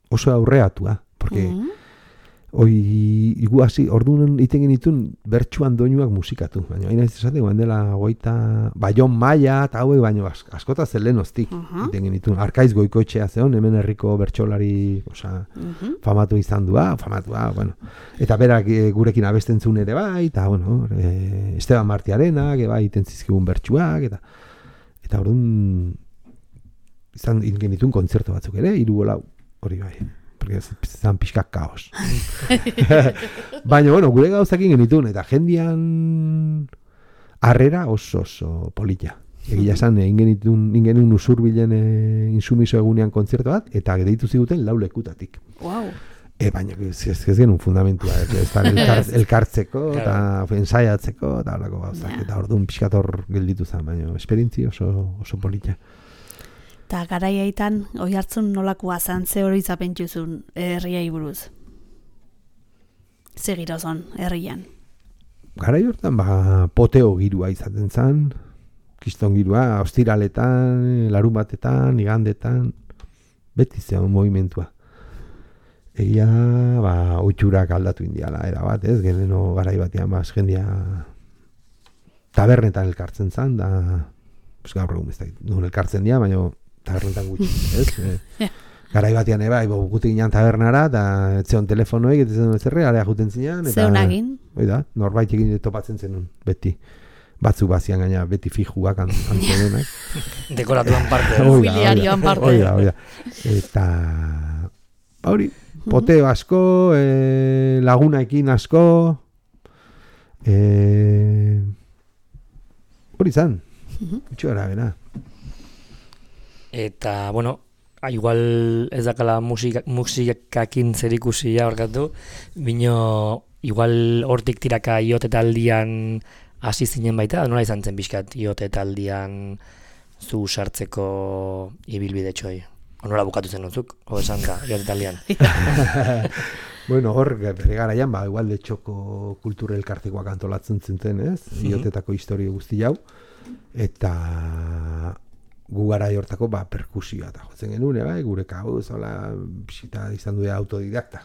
oso aurreatua, porque igu hasi, orduan iten genitun bertsuan doinuak musikatu, baina hain ez esate, guan dela Baion Maia eta hauek, baina askota zelenoztik iten genitun. Arkaiz Goikoetxea zeon, hemen herriko bertsolari famatu izan famatua, bueno. Eta berak gurekin abesten zuen ere bai, eta bueno, Esteban Martiarenak, bai, iten zizkigun bertsuak, eta orduan izan genitun kontzertu batzuk ere, 3-4 hori bai. Porque zan pixkak kaos. Baina, bueno, gure gauzakin genitun, eta jendian harrera oso polita. Egia esan, ingenun usurbilen insumiso egunean kontzertu bat, eta deitu ziguten 4 lekutatik. Wow. Baina, ez genuen fundamentua, elkartzeko, eta ensaiatzeko, eta horako gauzak, eta orduan pixkator gelditu zen, baina, esperientzi oso polita. Eta garaiaitan, Oiartzun nolakoa zan, ze hori zapentzuzun herriai buruz? Ze girozon, herrian? Garai hortan, poteo girua izaten zan, kriston girua, ostiraletan, larun batetan, igandetan, beti zeon movimentua. Egia, oitxurak aldatu indiala, erabat, ez, geneno garai batean, jendia tabernetan elkartzen zan, da, gaur egun ez da, nun elkartzen dira, baina tabernetan gutxi, ez? Garai batean eba, gutik ginen tabernara, eta etzeon telefonoek, eta zen zerre, area juten zinean. Zeun agin? Oida, norbait egin topatzen zenun, beti. Batzu bazian gaina, beti fijuak antzenenak. Dekoratuan parte. Mobiliarioan parte. Oida. Eta, hori, poteo asko, lagunaekin asko, hori zan, itxo gara bera. Eta, bueno, igual ez dakala musikakin zerikusia horkatu, bino igual hortik tiraka iote taldian hasi zinen baita, nola izan zen pixkat iote taldian zu sartzeko ibilbide txoi? Nola bukatu zen nuzuk, esan da, iote taldian? Bueno, hor, bere garaian, igual de txoko kultura elkartekoak antolatzen zinten, ez? Iotetako historio guzti hau, eta gu garai hortako perkusioa eta jotzen genuen, gure kabuz, bisita izan du autodidakta.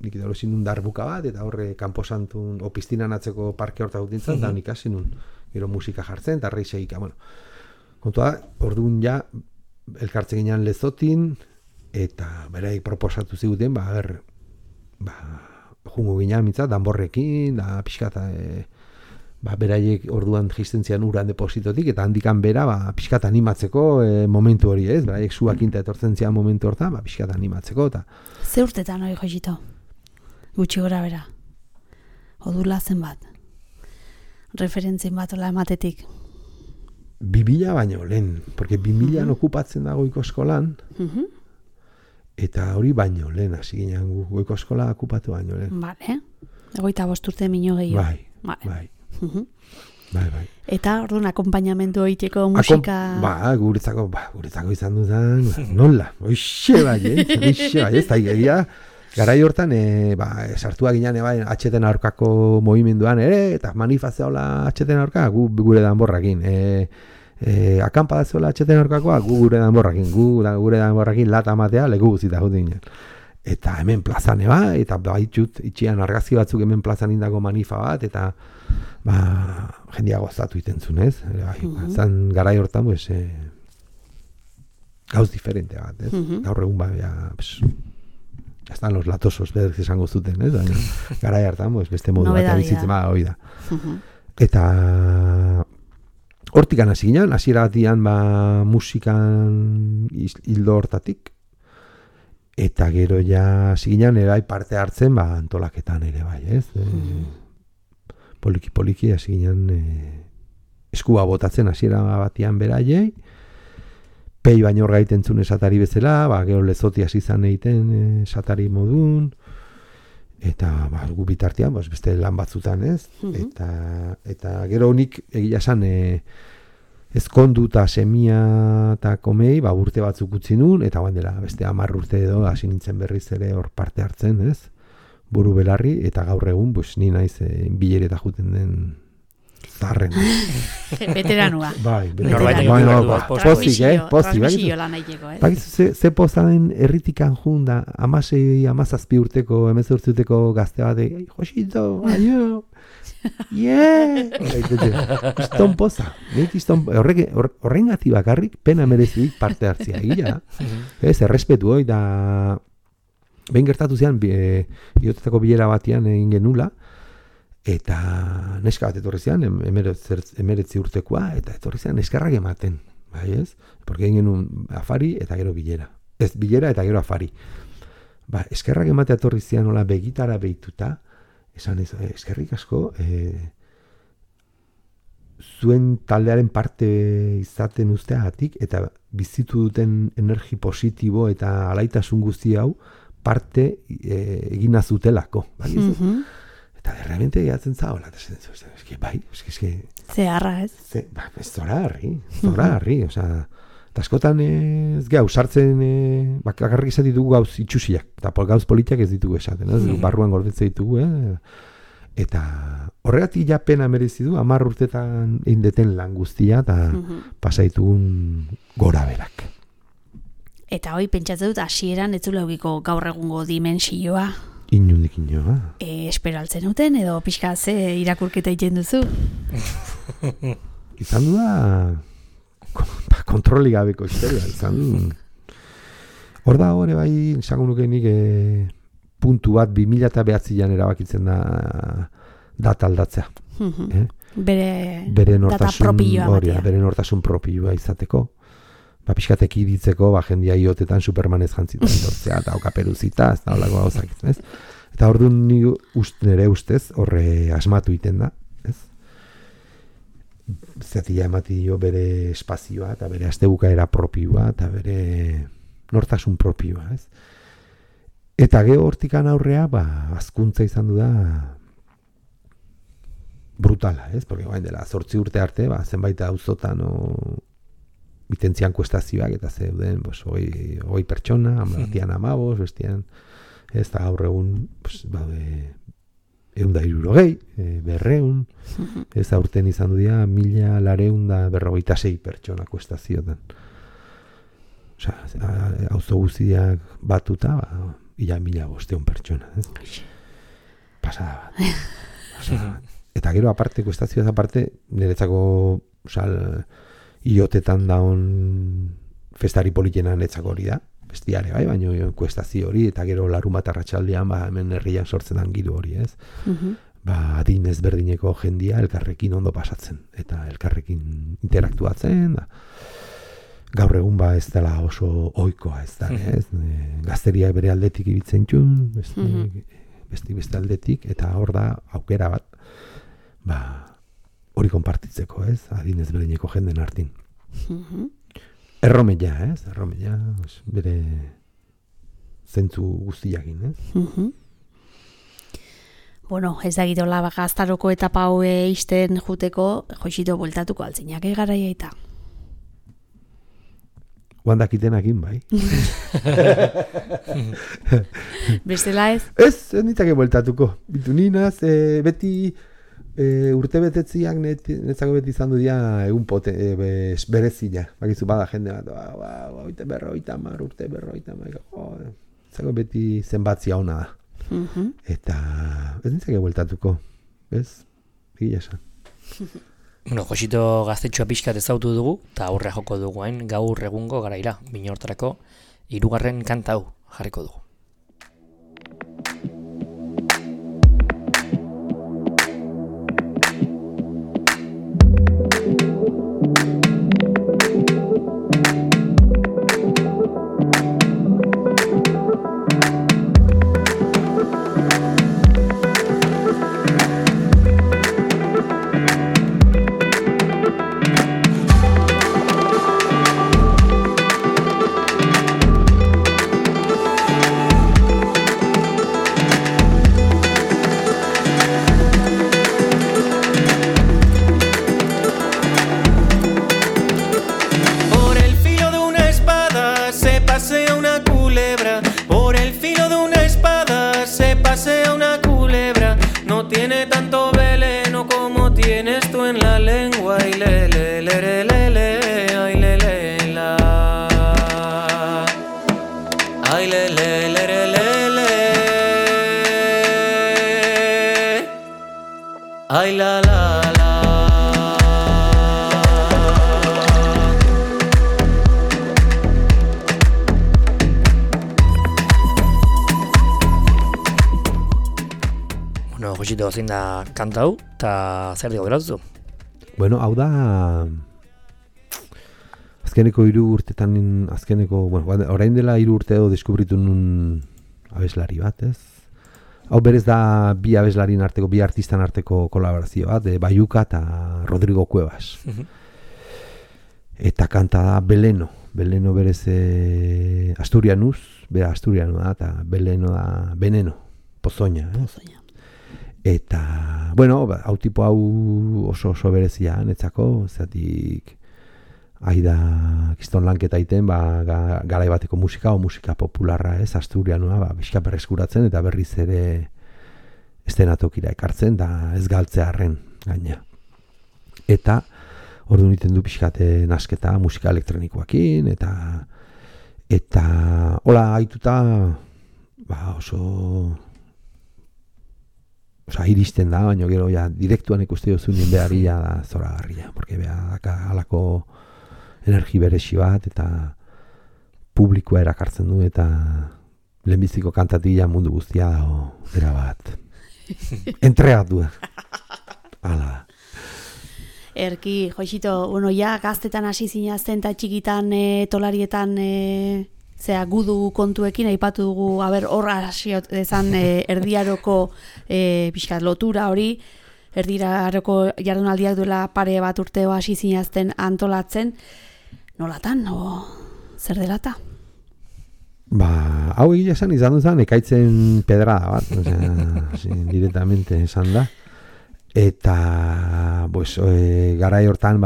Nik edo zinun darbuka bat, eta horre kanposantun, piztinan atzeko parke horta gutintzen, eta nik asinun, gero musika jartzen, eta reiseika, bueno. Kontua, orduan ja, elkartzen ginean Lezotin, eta beraik proposatu ziguten, jungo ginean mitzat, danborrekin, da pixkata, beraiek orduan jistentzian uran depositotik, eta handikan bera, pixkat animatzeko momentu hori, ez? Beraiek zuakinta etortzen zian momentu horta, pixkat animatzeko, eta... Ze urtetan hori jozito? Gutxi gora bera? Odula zenbat? Referentzien bat ola ematetik? 2000 baino lehen, porque 2000 okupatzen da Goiko eskolan, eta hori baino lehen, hasi ginen Goiko eskola okupatu baino lehen. Bale, 25 urte minio gehiago. Bai. Bai. Eta orduan akompainamendu egiteko musika... Guretzako izan dudan, nola, oixe bai, ez da egia. Garai hortan, sartua ginen atxeten aurkako movimenduan ere, eta manifazioa atxeten aurka, gure danborrakin. Akampa da zuela atxeten aurkakoa, gure danborrakin, gure danborrakin lata matea, leku guzita jute ginen. Eta hemen plazan eta baitxut, itxian argazki batzuk hemen plazan indako manifa bat, eta jendia gozatu itentzun, ez? Zan garai hortan, gauz diferente bat, ez? Gaur egun ya están los latosos, berriz esango zuten, ez? Garai hartan, beste modu bat bizitzen, hoi da. Eta hortikan hasi ginen, hasiera batian musikan hildo hortatik, eta gero ja ziginan ere parte hartzen antolaketan ere bai, ez? Poliki hasi ginen eskua botatzen hasiera batian beraiei, pei baino gaiten zuen esatari bezala, gero Lezoti hasi izan egiten esatari modun, eta gu bitartean beste lan batzutan, ez? Eta gero nik egia esan ezkondu eta semia eta komei, urte batzuk utzi nun, eta dela beste 10 urte edo hasi nintzen berriz ere hor parte hartzen, ez? Buru belarri, eta gaur egun, ni naiz bilereta juten den zarren. Veteranua. Bai, Norbaitek pozik, transmisio lan aiteko, Bakizu ze pozaren erritikan jun da, 16, 17 urteko, 18 urteko gazte bat, Josito, aio, Iston poza. Horrengati bakarrik pena merezidik parte hartzea egia. Ez, errespetu hoi da behin gertatu zean iotetako bilera batean egin genula eta neska bat etorri zean 19 urtekoa eta etorri zean eskerrak ematen, bai ez? Porque egin genuen afari eta gero bilera. Ez bilera eta gero afari. Ba, eskerrak ematea etorri zean nola begitara behituta, esan ez, eskerrik asko, zuen taldearen parte izaten usteagatik eta bizitu duten energi positibo eta alaitasun guzti hau parte egin azutelako. Bai, eta realmente gehatzen zaola. Bai, eske... Zeharra, ez? Zora harri. Eta askotan ez geha, usartzen bakarrik ez ditugu gauz itxusiak. Eta gauz politiak ez ditugu esaten. Barruan gordetzen ditugu. Eta horregatik ja pena merezi du 10 urtetan indeten lan guztia eta pasaitugun gora berak. Eta hoi pentsatzen dut hasieran ez zula egiko gaur egungo dimensioa. Inundik inoa. Esperaltzen duten edo pixka ze irakurketa egiten duzu? Izan du da kontroli gabeko historia. Hor da hori bai, esango nuke nik puntu bat 2009an erabakitzen da data aldatzea. Bere nortasun propioa izateko. Pixkatek iritzeko, jendia iotetan Supermanez jantzita etortzea, eta okaperuzita, ez da holako gauzak, ez? Eta orduan nire ustez, horre asmatu iten da, ez? Zatila emati dio bere espazioa, eta bere astebukaera propioa, eta bere nortasun propioa, ez? Eta gero hortikan aurrea, azkuntza izan du da brutala, ez? Porque bain dela, 8 urte arte, zenbait auzotan bitentzian kuestazioak eta zeuden, hoi pertsona, batian 15, bestian, ez da gaur egun, baude, 160, 200, ez aurten izan du dira, 1,246 pertsona kuestazioetan. Osea, auzo guztiak batuta, ila 1,500 pertsona, ez? Pasada bat. Eta gero aparte, kuestazioaz aparte, niretzako, iotetan daun festari politena netzako hori da, bestiare bai, baina kuestazio hori, eta gero larun bat arratsaldean hemen herrian sortzen dan giru hori, ez? Adin ezberdineko jendia elkarrekin ondo pasatzen, eta elkarrekin interaktuatzen, gaur egun ez dela oso ohikoa, ez da, ez? Gazteria bere aldetik ibitzen txun, beste aldetik, eta hor da aukera bat, hori konpartitzeko, ez? Adin ezberdineko jenden artin. Erromella, ez? Erromella, bere zentzu guztiakin, ez? Bueno, ez da gidola gaztaroko etapa hoe isten juteko, Joxito bueltatuko altzinak garaia eta. Guandakitenakin, bai. Bestela ez? Ez nitzake bueltatuko. Bitu ninaz, beti urte betetziak netzako beti izan du dira egun berezila. Bakizu bada jende bat, urte berroitamar, zako beti zenbatzia ona da. Eta ez nintzake bueltatuko. Ez? Egia esan. Bueno, Josito gaztetxoa pixkat ezautu dugu, eta aurre joko dugu hain gaur egungo garaira, Binortarako 3. kanta hau jarriko dugu. pasea una culebra, no tiene tanto veneno como tienes tú en la lengua. Ay, le, le, le, le, le, le, ay, le, le, la. Ay, le, le, le, le, le, le. Ay, la, la, la. Bueno, Josito, zein da kanta hau, eta zer digo geratuzu? Bueno, hau da azkeneko 3 urtetan, orain dela 3 urte edo deskubritu nun abeslari bat, ez? Hau berez da 2 abeslarien arteko, 2 artistan arteko kolaborazio bat, Baiuka eta Rodrigo Cuevas. Eta kanta da Beleno berez Asturianuz, Asturiano da, eta Beleno da Veneno, Pozoña, ez? Eta, bueno, hau tipo hau oso berezia netzako, zatik aida kiston lanketa iten, garai bateko musika o musika popularra, ez, Asturianoa, bizka berreskuratzen eta berriz ere estenatokira ekartzen, da ez galtzearren gaina. Eta ordu niten du pixkate nasketa musika elektronikoakin, eta hola haituta, oso iristen da, baina gero ja direktuan ikuste duzunin beharria da zoragarria, porque halako energi beresi bat eta publikoa erakartzen du eta lehenbiziko kantatila mundu guztia dago erabat. Entregatu. Hala. Erki, Joxito, bueno, ja gaztetan hasi zinazten eta txikitan tolarietan gudu kontuekin aipatu dugu, hor hasi dezan erdiaroko pixkat lotura hori, erdiaroko jardunaldiak duela pare bat urteo hasi zinazten antolatzen, nolatan, zer delata? Hau egia esan izan duzan ekaitzen pedrada bat, directamente esan da, eta garai hortan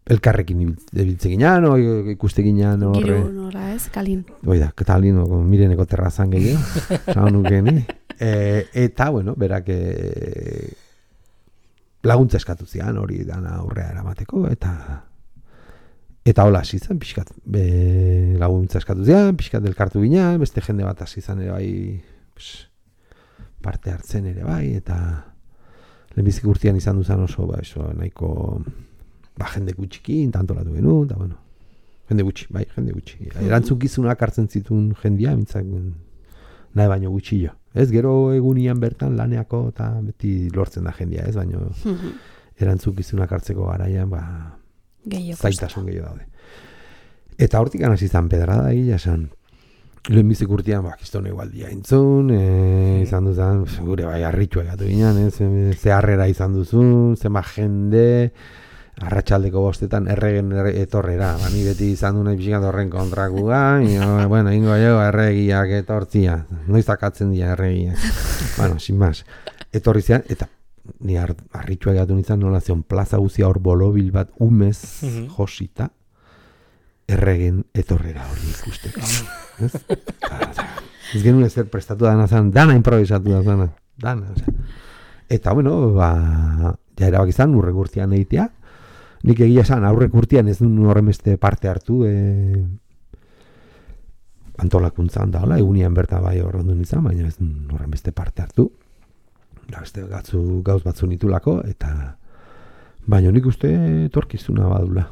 elkarrekin ibiltze ginean, ikuste ginean Giru nora ez, Kalin. Oida, Kalin, Mireneko terrazan gehiago, saunukeni. Eta, bueno, berak laguntza eskatu zian, hori dana aurrea eramateko, eta hola hasi zen, pixkat, laguntza eskatu zian, pixkat elkartu ginean, beste jende bat hasi zen ere bai, parte hartzen ere bai, eta lehenbizik urtean izan duzan oso, nahiko jende gutxikin, tantolatu genuen, eta bueno, jende gutxi. Erantzunkizunak hartzen zituen jendia, mintzak nahi baino gutxillo. Ez, gero egunian bertan laneako eta beti lortzen da jendia, ez, baino erantzunkizunak hartzeko garaian, zaitasun gehiago daude. Eta hortik hasi izan pedrada egia esan. Lehenbizik urtean, kiston egualdia entzun, izan duzan, gure harritxua egatu ginen, ze harrera izan duzun, zema jende, arratsaldeko 5 erregen etorrera, ni beti izan du nahi pixkat horren kontrakua, bueno, ingo erregiak etortzia, noiz akatzen dira erregiak. Bueno, sin más, etorri zian, eta ni harritxua egatu nintzen nola zion plaza guzia hor bolobil bat umez josita, erregen etorrera hori ikusteko. Ez genuen ezer prestatu dana zan, dana improvisatu da zana, dana. Eta, bueno, ja erabak izan, urrek urtean egitea. Nik egia esan, aurrek urtean ez duen horremeste parte hartu antolakuntzan da, egunian berta bai horrondun izan, baina ez duen horremeste parte hartu. Beste gauz batzu nitulako, eta baina nik uste etorkizuna badula.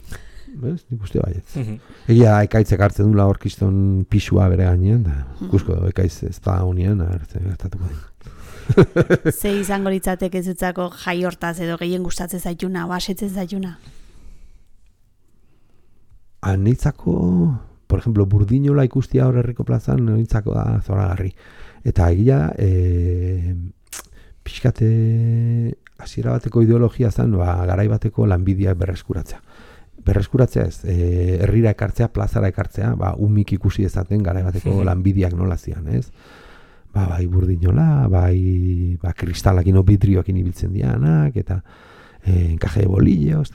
Nik uste baiet. Egia ekaitzek hartzen dula orkiston pisua bere gainean, da ikusko ekaitz ez da honean, gertatuko den. Ze izango litzatek ez dutzako jai hortaz edo gehien gustatzen zaituna, asetzen zaituna? Nitzako, por ejemplo, Burdinola ikustia hor herriko plazan, nitzako da zoragarri. Eta egia da, pixkate hasiera bateko ideologia zen, garai bateko lanbideak berreskuratzea. Berreskuratzea ez, herrira ekartzea, plazara ekartzea, umik ikusi ezaten garai bateko lanbideak nola zian, ez? Bai Burdinola, bai kristalakin o vidrioakin ibiltzen dianak, eta enkaje de bolillos,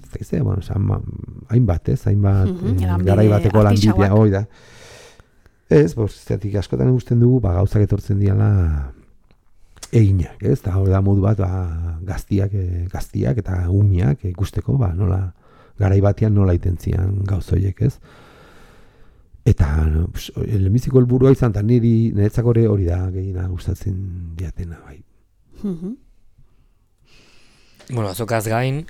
hainbat, garai bateko lanbidea, hoi da. Ez, zeratik askotan ikusten dugu, gauzak etortzen diala eginak, ez? Eta hori da modu bat, gaztiak eta umiak ikusteko, nola, garai batean nola itentzian gauzoiek, ez? Eta, lehenbiziko helburua izan, eta niretzako hori da gehiena gustatzen diatena, bai. Bueno, azokaz gain,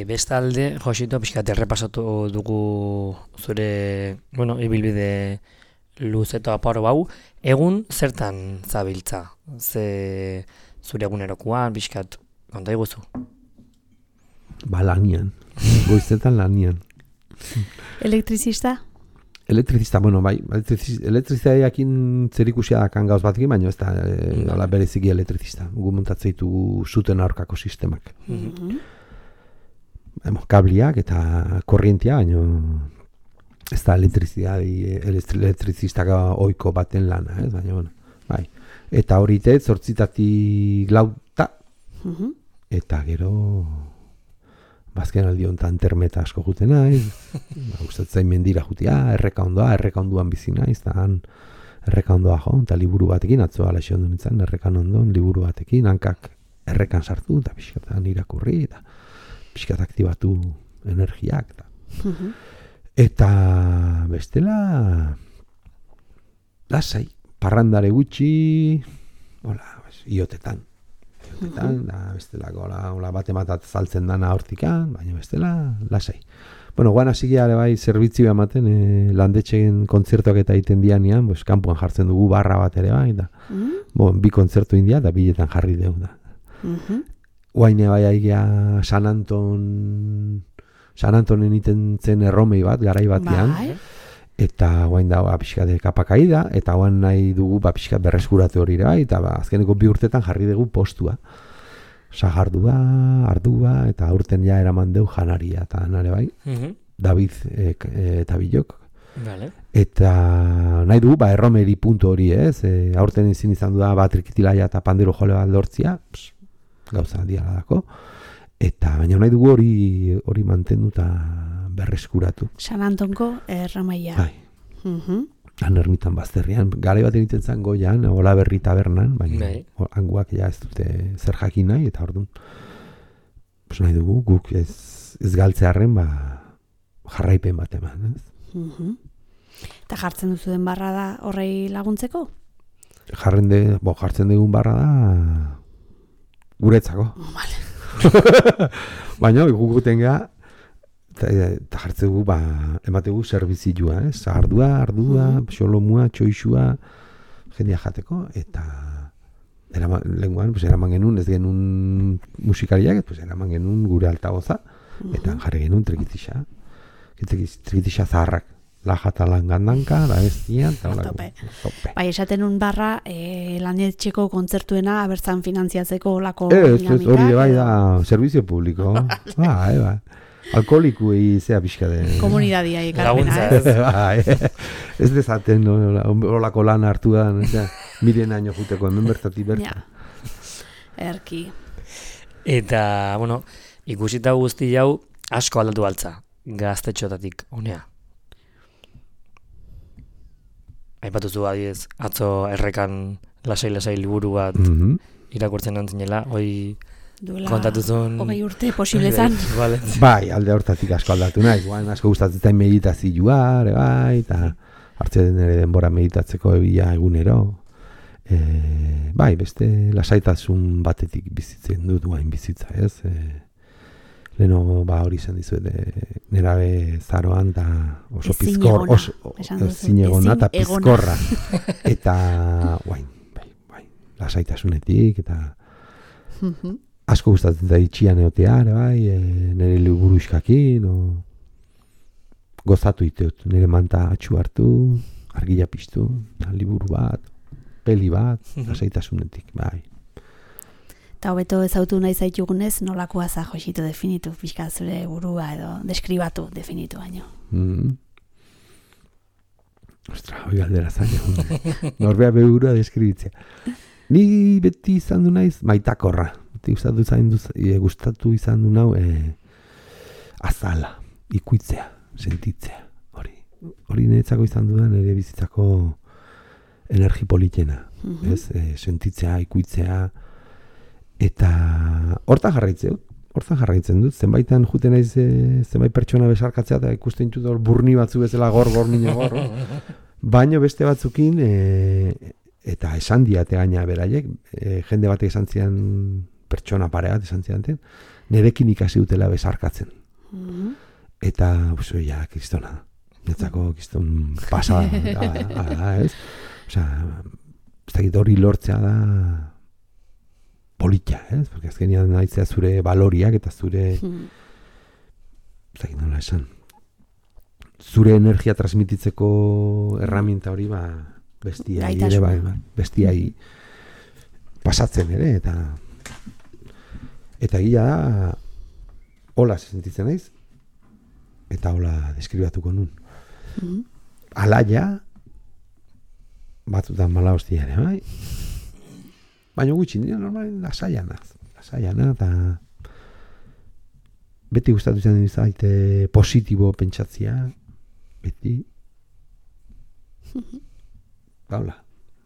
bestalde, Josito, pixkat errepasatu dugu zure, ibilbide luz eta aparo hau, egun zertan zabiltza? Ze zure egunerokoan, pixkat, konta iguzu? Lanian, goizetan lanian. Elektrizista? Elektrizista, bai, elektrizitateakin zerikusia dakan gauz batekin, baina ez da bereziki elektrizista. Gu montatzeitu zuten aurkako sistemak. Kabliak eta korrientia, baina ez da elektrizistak oiko baten lana, ez? Baina, bai. Eta horite, 8:00 lauta, eta gero bazken aldi honetan termeta asko jute naiz, gustatzen mendira jutia, erreka ondoan bizi naiz, eta han erreka ondoa jo, eta liburu batekin, atzo alaxe ondo nintzen, errekan ondoan, liburu batekin, hankak errekan sartu, eta pixkatan irakurri, eta pixkat aktibatu energiak. Eta bestela, lasai, parrandare gutxi, iotetan. Da bestelako bate saltzen dana hortikan, baina bestela lasai. Guan hasikia ere bai zerbitzu ematen landetxeen kontzertuak eta egiten dianean, kanpoan jartzen dugu barra bat ere bai da. Bi kontzertu india da biletan jarri deu da. Guaine bai aigia San Antonen iten zen erromei bat garai batean. Eta guain da pixka de kapakaida, eta guain nahi dugu pixka berreskuratu hori bai, eta azkeneko 2 urtetan jarri dugu postua. Sagardua, ardua, eta aurten ja eraman deu janaria, eta nare bai, David eta Bilok. Eta nahi dugu erromeri puntu hori ez, aurten ezin izan du da batrikitilaia eta pandero jole bat lortzia, gauza diala dako. Eta baina nahi dugu hori mantendu eta berreskuratu. San Antonko erramaia. Bai. Han ermitan bazterrian. Garai bat egiten zen goian, Ola Berri tabernan, baina hanguak ja ez dute zer jakin nahi, eta orduan nahi dugu guk ez galtzearren jarraipen bat eman. Eta jartzen duzu den barra da horrei laguntzeko? Jartzen dugun barra da guretzako. Baina gukuten geha eta jartzen dugu emategu servizioa, ardua, xolomua, txoixua jendia jateko, eta lenguan eraman genuen, ez genuen musikariak, eraman genuen gure altaboza, eta jarri genuen trikitixa zaharrak, lajata langandanka, la bestia, eta tope. Bai, esaten un barra landetxeko kontzertuena abertzan finantziatzeko olako dinamikak. Hori bai da, servizio publiko. Bai. Alkoholikuei zea pixka de... Komunidadia ekarpena, ez dezaten olako lan hartu da, miren aino juteko, hemen bertatik berta. Erki. Eta, ikusita guzti jau asko aldatu altza, gaztetxotatik, honea. Aipatuzu adiez, atzo errekan lasai liburu bat irakurtzen antzinela, hoi kontatuzun... Hogei urte posible zan. Bai, alde hortatik asko aldatu nahi, asko gustatzen meditazioa, eta hartzen ere denbora meditatzeko ebila egunero. Bai, beste lasaitasun batetik bizitzen dut guain bizitza, ez? Leno hori izan dizuet nerabe zaroan da oso pizkor, zinegona eta pizkorra. Eta bai, lasaitasunetik eta asko gustatzen da itxian egotea, nire liburu iskakin, gozatu iteut, nire manta atxu hartu, argila piztu, liburu bat, peli bat, lasaitasunetik, bai. Eta hobeto ezautu nahi zaitugunez, nolakoa za Josito definitu, pixka zure burua edo deskribatu definitu baino. Ostra, hoi galdera zaila. Norbea begurua deskribitzea. Ni beti izan du naiz maitakorra. Gustatu izan du nau azala, ikuitzea, sentitzea, hori. hori niretzako izan dudan nire bizitzako energi politena, ez? Sentitzea, ikuitzea, eta horta jarraitzen dut, zenbaitan juten naiz zenbait pertsona besarkatzea, eta ikusten dut hor burni batzu bezala gor, baino beste batzukin, eta esan diate gaina beraiek, jende batek esan zian, pertsona pare bat esan zian, nerekin ikasi dutela besarkatzen. Eta, ja, kristona, netzako kriston pasada, ez? Osea, ez dakit hori lortzea da politia, ez? Porque azkenean nahitzea zure baloriak eta zure, ez dakit nola esan, zure energia transmititzeko erraminta hori, bestiai ere, bestiai pasatzen ere, eta gila da, hola sentitzen naiz, eta hola deskribatuko nun. Alaia, batzutan mala hostia ere, bai? Baina gutxi, nire normal lasaiana, eta beti gustatu izan zaite positibo pentsatzia, beti. Gaula,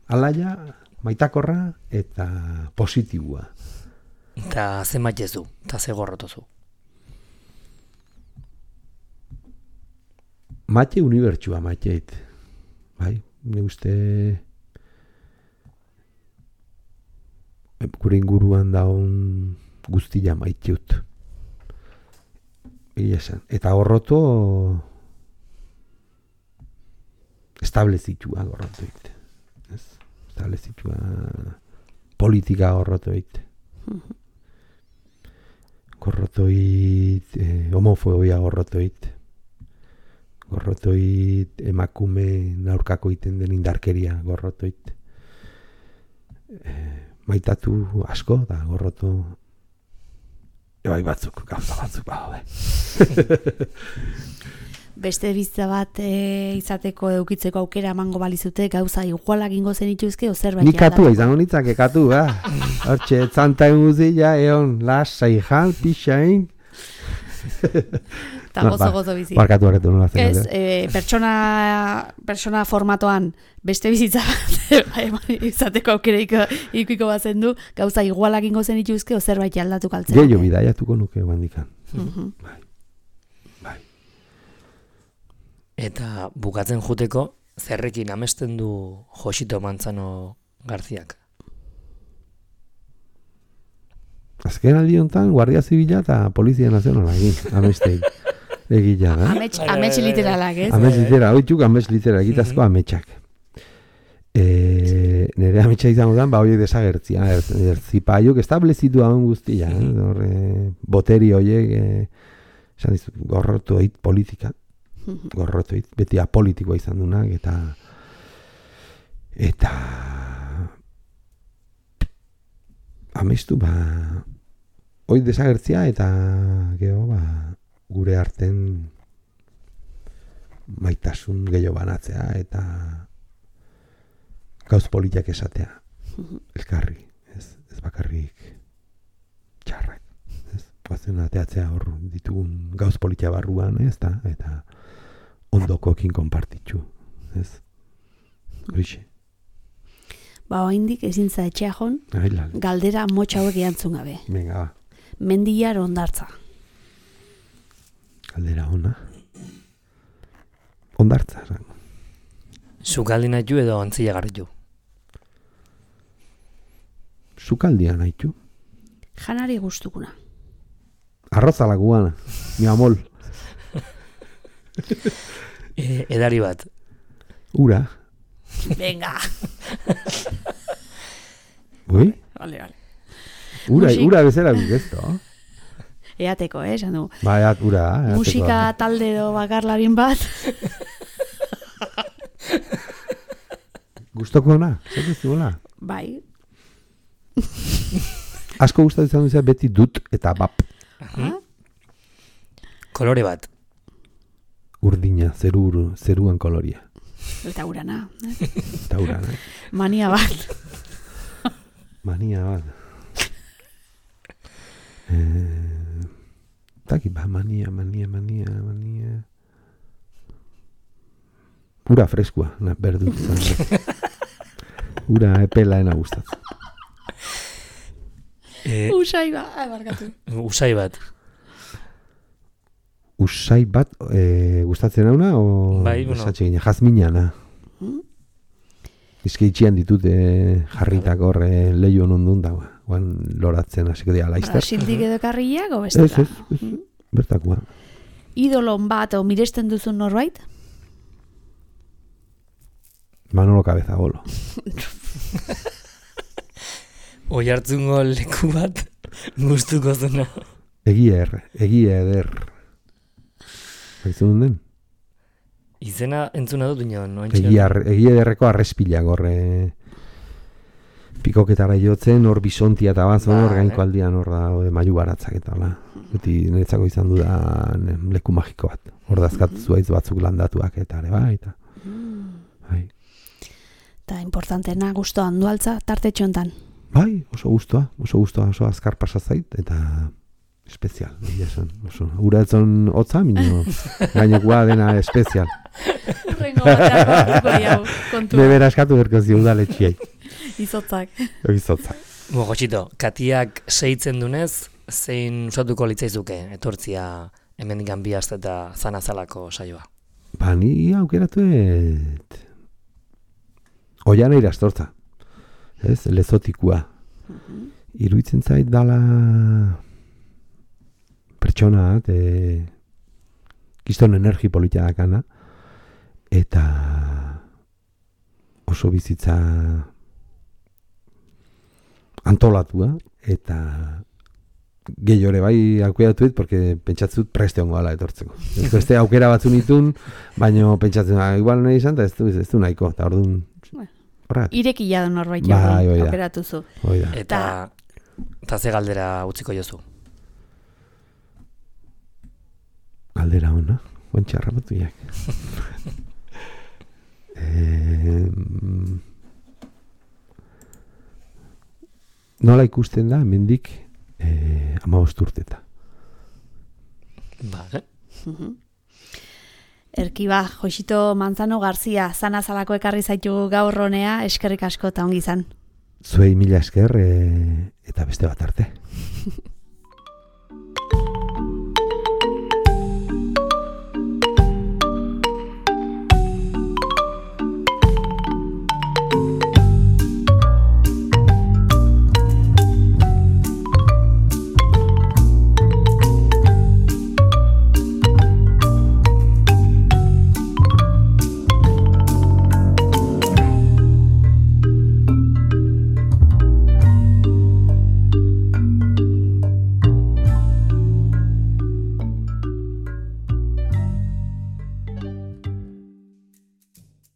alaia, maitakorra eta positibua. Eta ze maitezu, eta ze gorrotozu. Maite unibertsua maiteit, bai? Ne uste gure inguruan daun guztia maiteut. Eta gorroto establezitua gorrotoit. Establezitua politika gorrotoit. Gorrotoit homofobia gorrotoit. Gorrotoit emakume aurkako iten den indarkeria gorrotoit. Maitatu asko da gorroto bai batzuk, gauza batzuk Beste bizitza bat izateko edukitzeko aukera emango balizute gauza igualak ingo zenituzke o zerbait. Ni katua izango nitzake katu, hortxe, txanta guzia, egon, lasai jan, pixain. Eta gozo bizi. Barkatu horretu nola zen. Ez, pertsona formatoan beste bizitza bat izateko aukera ikuiko bazen du, gauza igualak ingo zenituzke o zerbait aldatu kaltzen. Gehiago bidaiatuko nuke guandikan. Bai. Eta bukatzen juteko, zerrekin amesten du Josito Manzano Garziak? Azken aldi honetan, Guardia Zibila eta Polizia Nazionala amestei egila, da? Amets literalak, ez? Amets literalak, oituk amets literalak, egitazko ametsak. Nere ametsa izango da, horiek desagertzia, erzipaiuk establezitu haun guztia, boteri horiek, gorrotoit politika, gorrotoit, beti apolitikoa izan dunak, eta amestu, hoi desagertzia eta gure arten maitasun gehiago banatzea eta gauz politiak esatea elkarri, ez bakarrik txarrak, ez bazen ateatzea hor ditugun gauz politia barruan, ez da, eta ondokoekin konpartitzu, ez horixe. Oaindik ezin za etxea jon, galdera motxa hauek erantzun gabe. Venga, ba. Mendiar Hondartza. Galdera ona. Hondartza. Sukaldi nahitu edo ontzila garritu? Sukaldia nahitu. Janari gustukuna. Arrozala guana, mi amol. Edari bat. Ura. Venga. Ui? Vale. Ura bezala gukesto. Eateko, esan du. Ura. Musika talde edo bakarlarin bat. Gustoko ona, zer duzuela? Bai. Asko gustatu izan duzea beti dut eta bap. Kolore bat. Urdina, zeruan koloria. Eta urana. Mania bat. Taki, mania. Ura freskua, berdu. Ura epelaena gustatzen. Usai barkatu. Usai bat. Usai bat gustatzen hauna, o Bai, bueno. esatxegina, jazminana. Izke itxian ditut jarritak hor lehion ondun da, guan loratzen hasiko dira laizter. Brasildik edo karriak, o bestela? Ez, bertakoa. Idolon bat, o miresten duzun norbait? Manolo Cabezabolo. Oi hartzungo leku bat gustuko zuna. Egia eder. Baizun den? Izena entzuna dut ino. Egia ederreko arrespila gorre. Pikoketara jotzen, hor bisontia eta bazon, hor gainko aldian hor da, mailu baratzak eta hola. Beti niretzako izan dudan leku magiko bat. Hor dazkat zuaiz batzuk landatuak eta ere bai. Bai. Eta importantena guztua handualtza tarte txontan. Bai, oso guztua, oso azkar pasazait eta espezial. Ura etzon hotza, minio gainekua dena espezial. Rengo batean kontua. Bebera eskatu berkozio udaletxiai. Izotzak. Gotxito, katiak seitzen dunez, zein usatuko litzaizuke etortzia hemendikan bi aste eta zanazalako saioa? Ba, ni aukeratu Oiana irastortza. Ez, lezotikua. Iruitzen zait dala pertsona, kiston energi politia dakana, eta oso bizitza antolatua, eta gehiore bai aukeratuet, porque pentsatzut preste hongo ala etortzeko. Beste aukera batzu nitun, baina pentsatzen, igual nahi izan, eta ez du nahiko, eta orduan irekila du norbait aukeratu zu. Eta ze galdera utziko jozu? Galdera hona, guantxe harrapatuiak. Nola ikusten da, mendik 15 urteta. Vale. Erkiba, Josito Manzano Garzia, zanazalako ekarri zaitu gaur honea, eskerrik asko eta ongi izan. Zuei mila esker eta beste bat arte.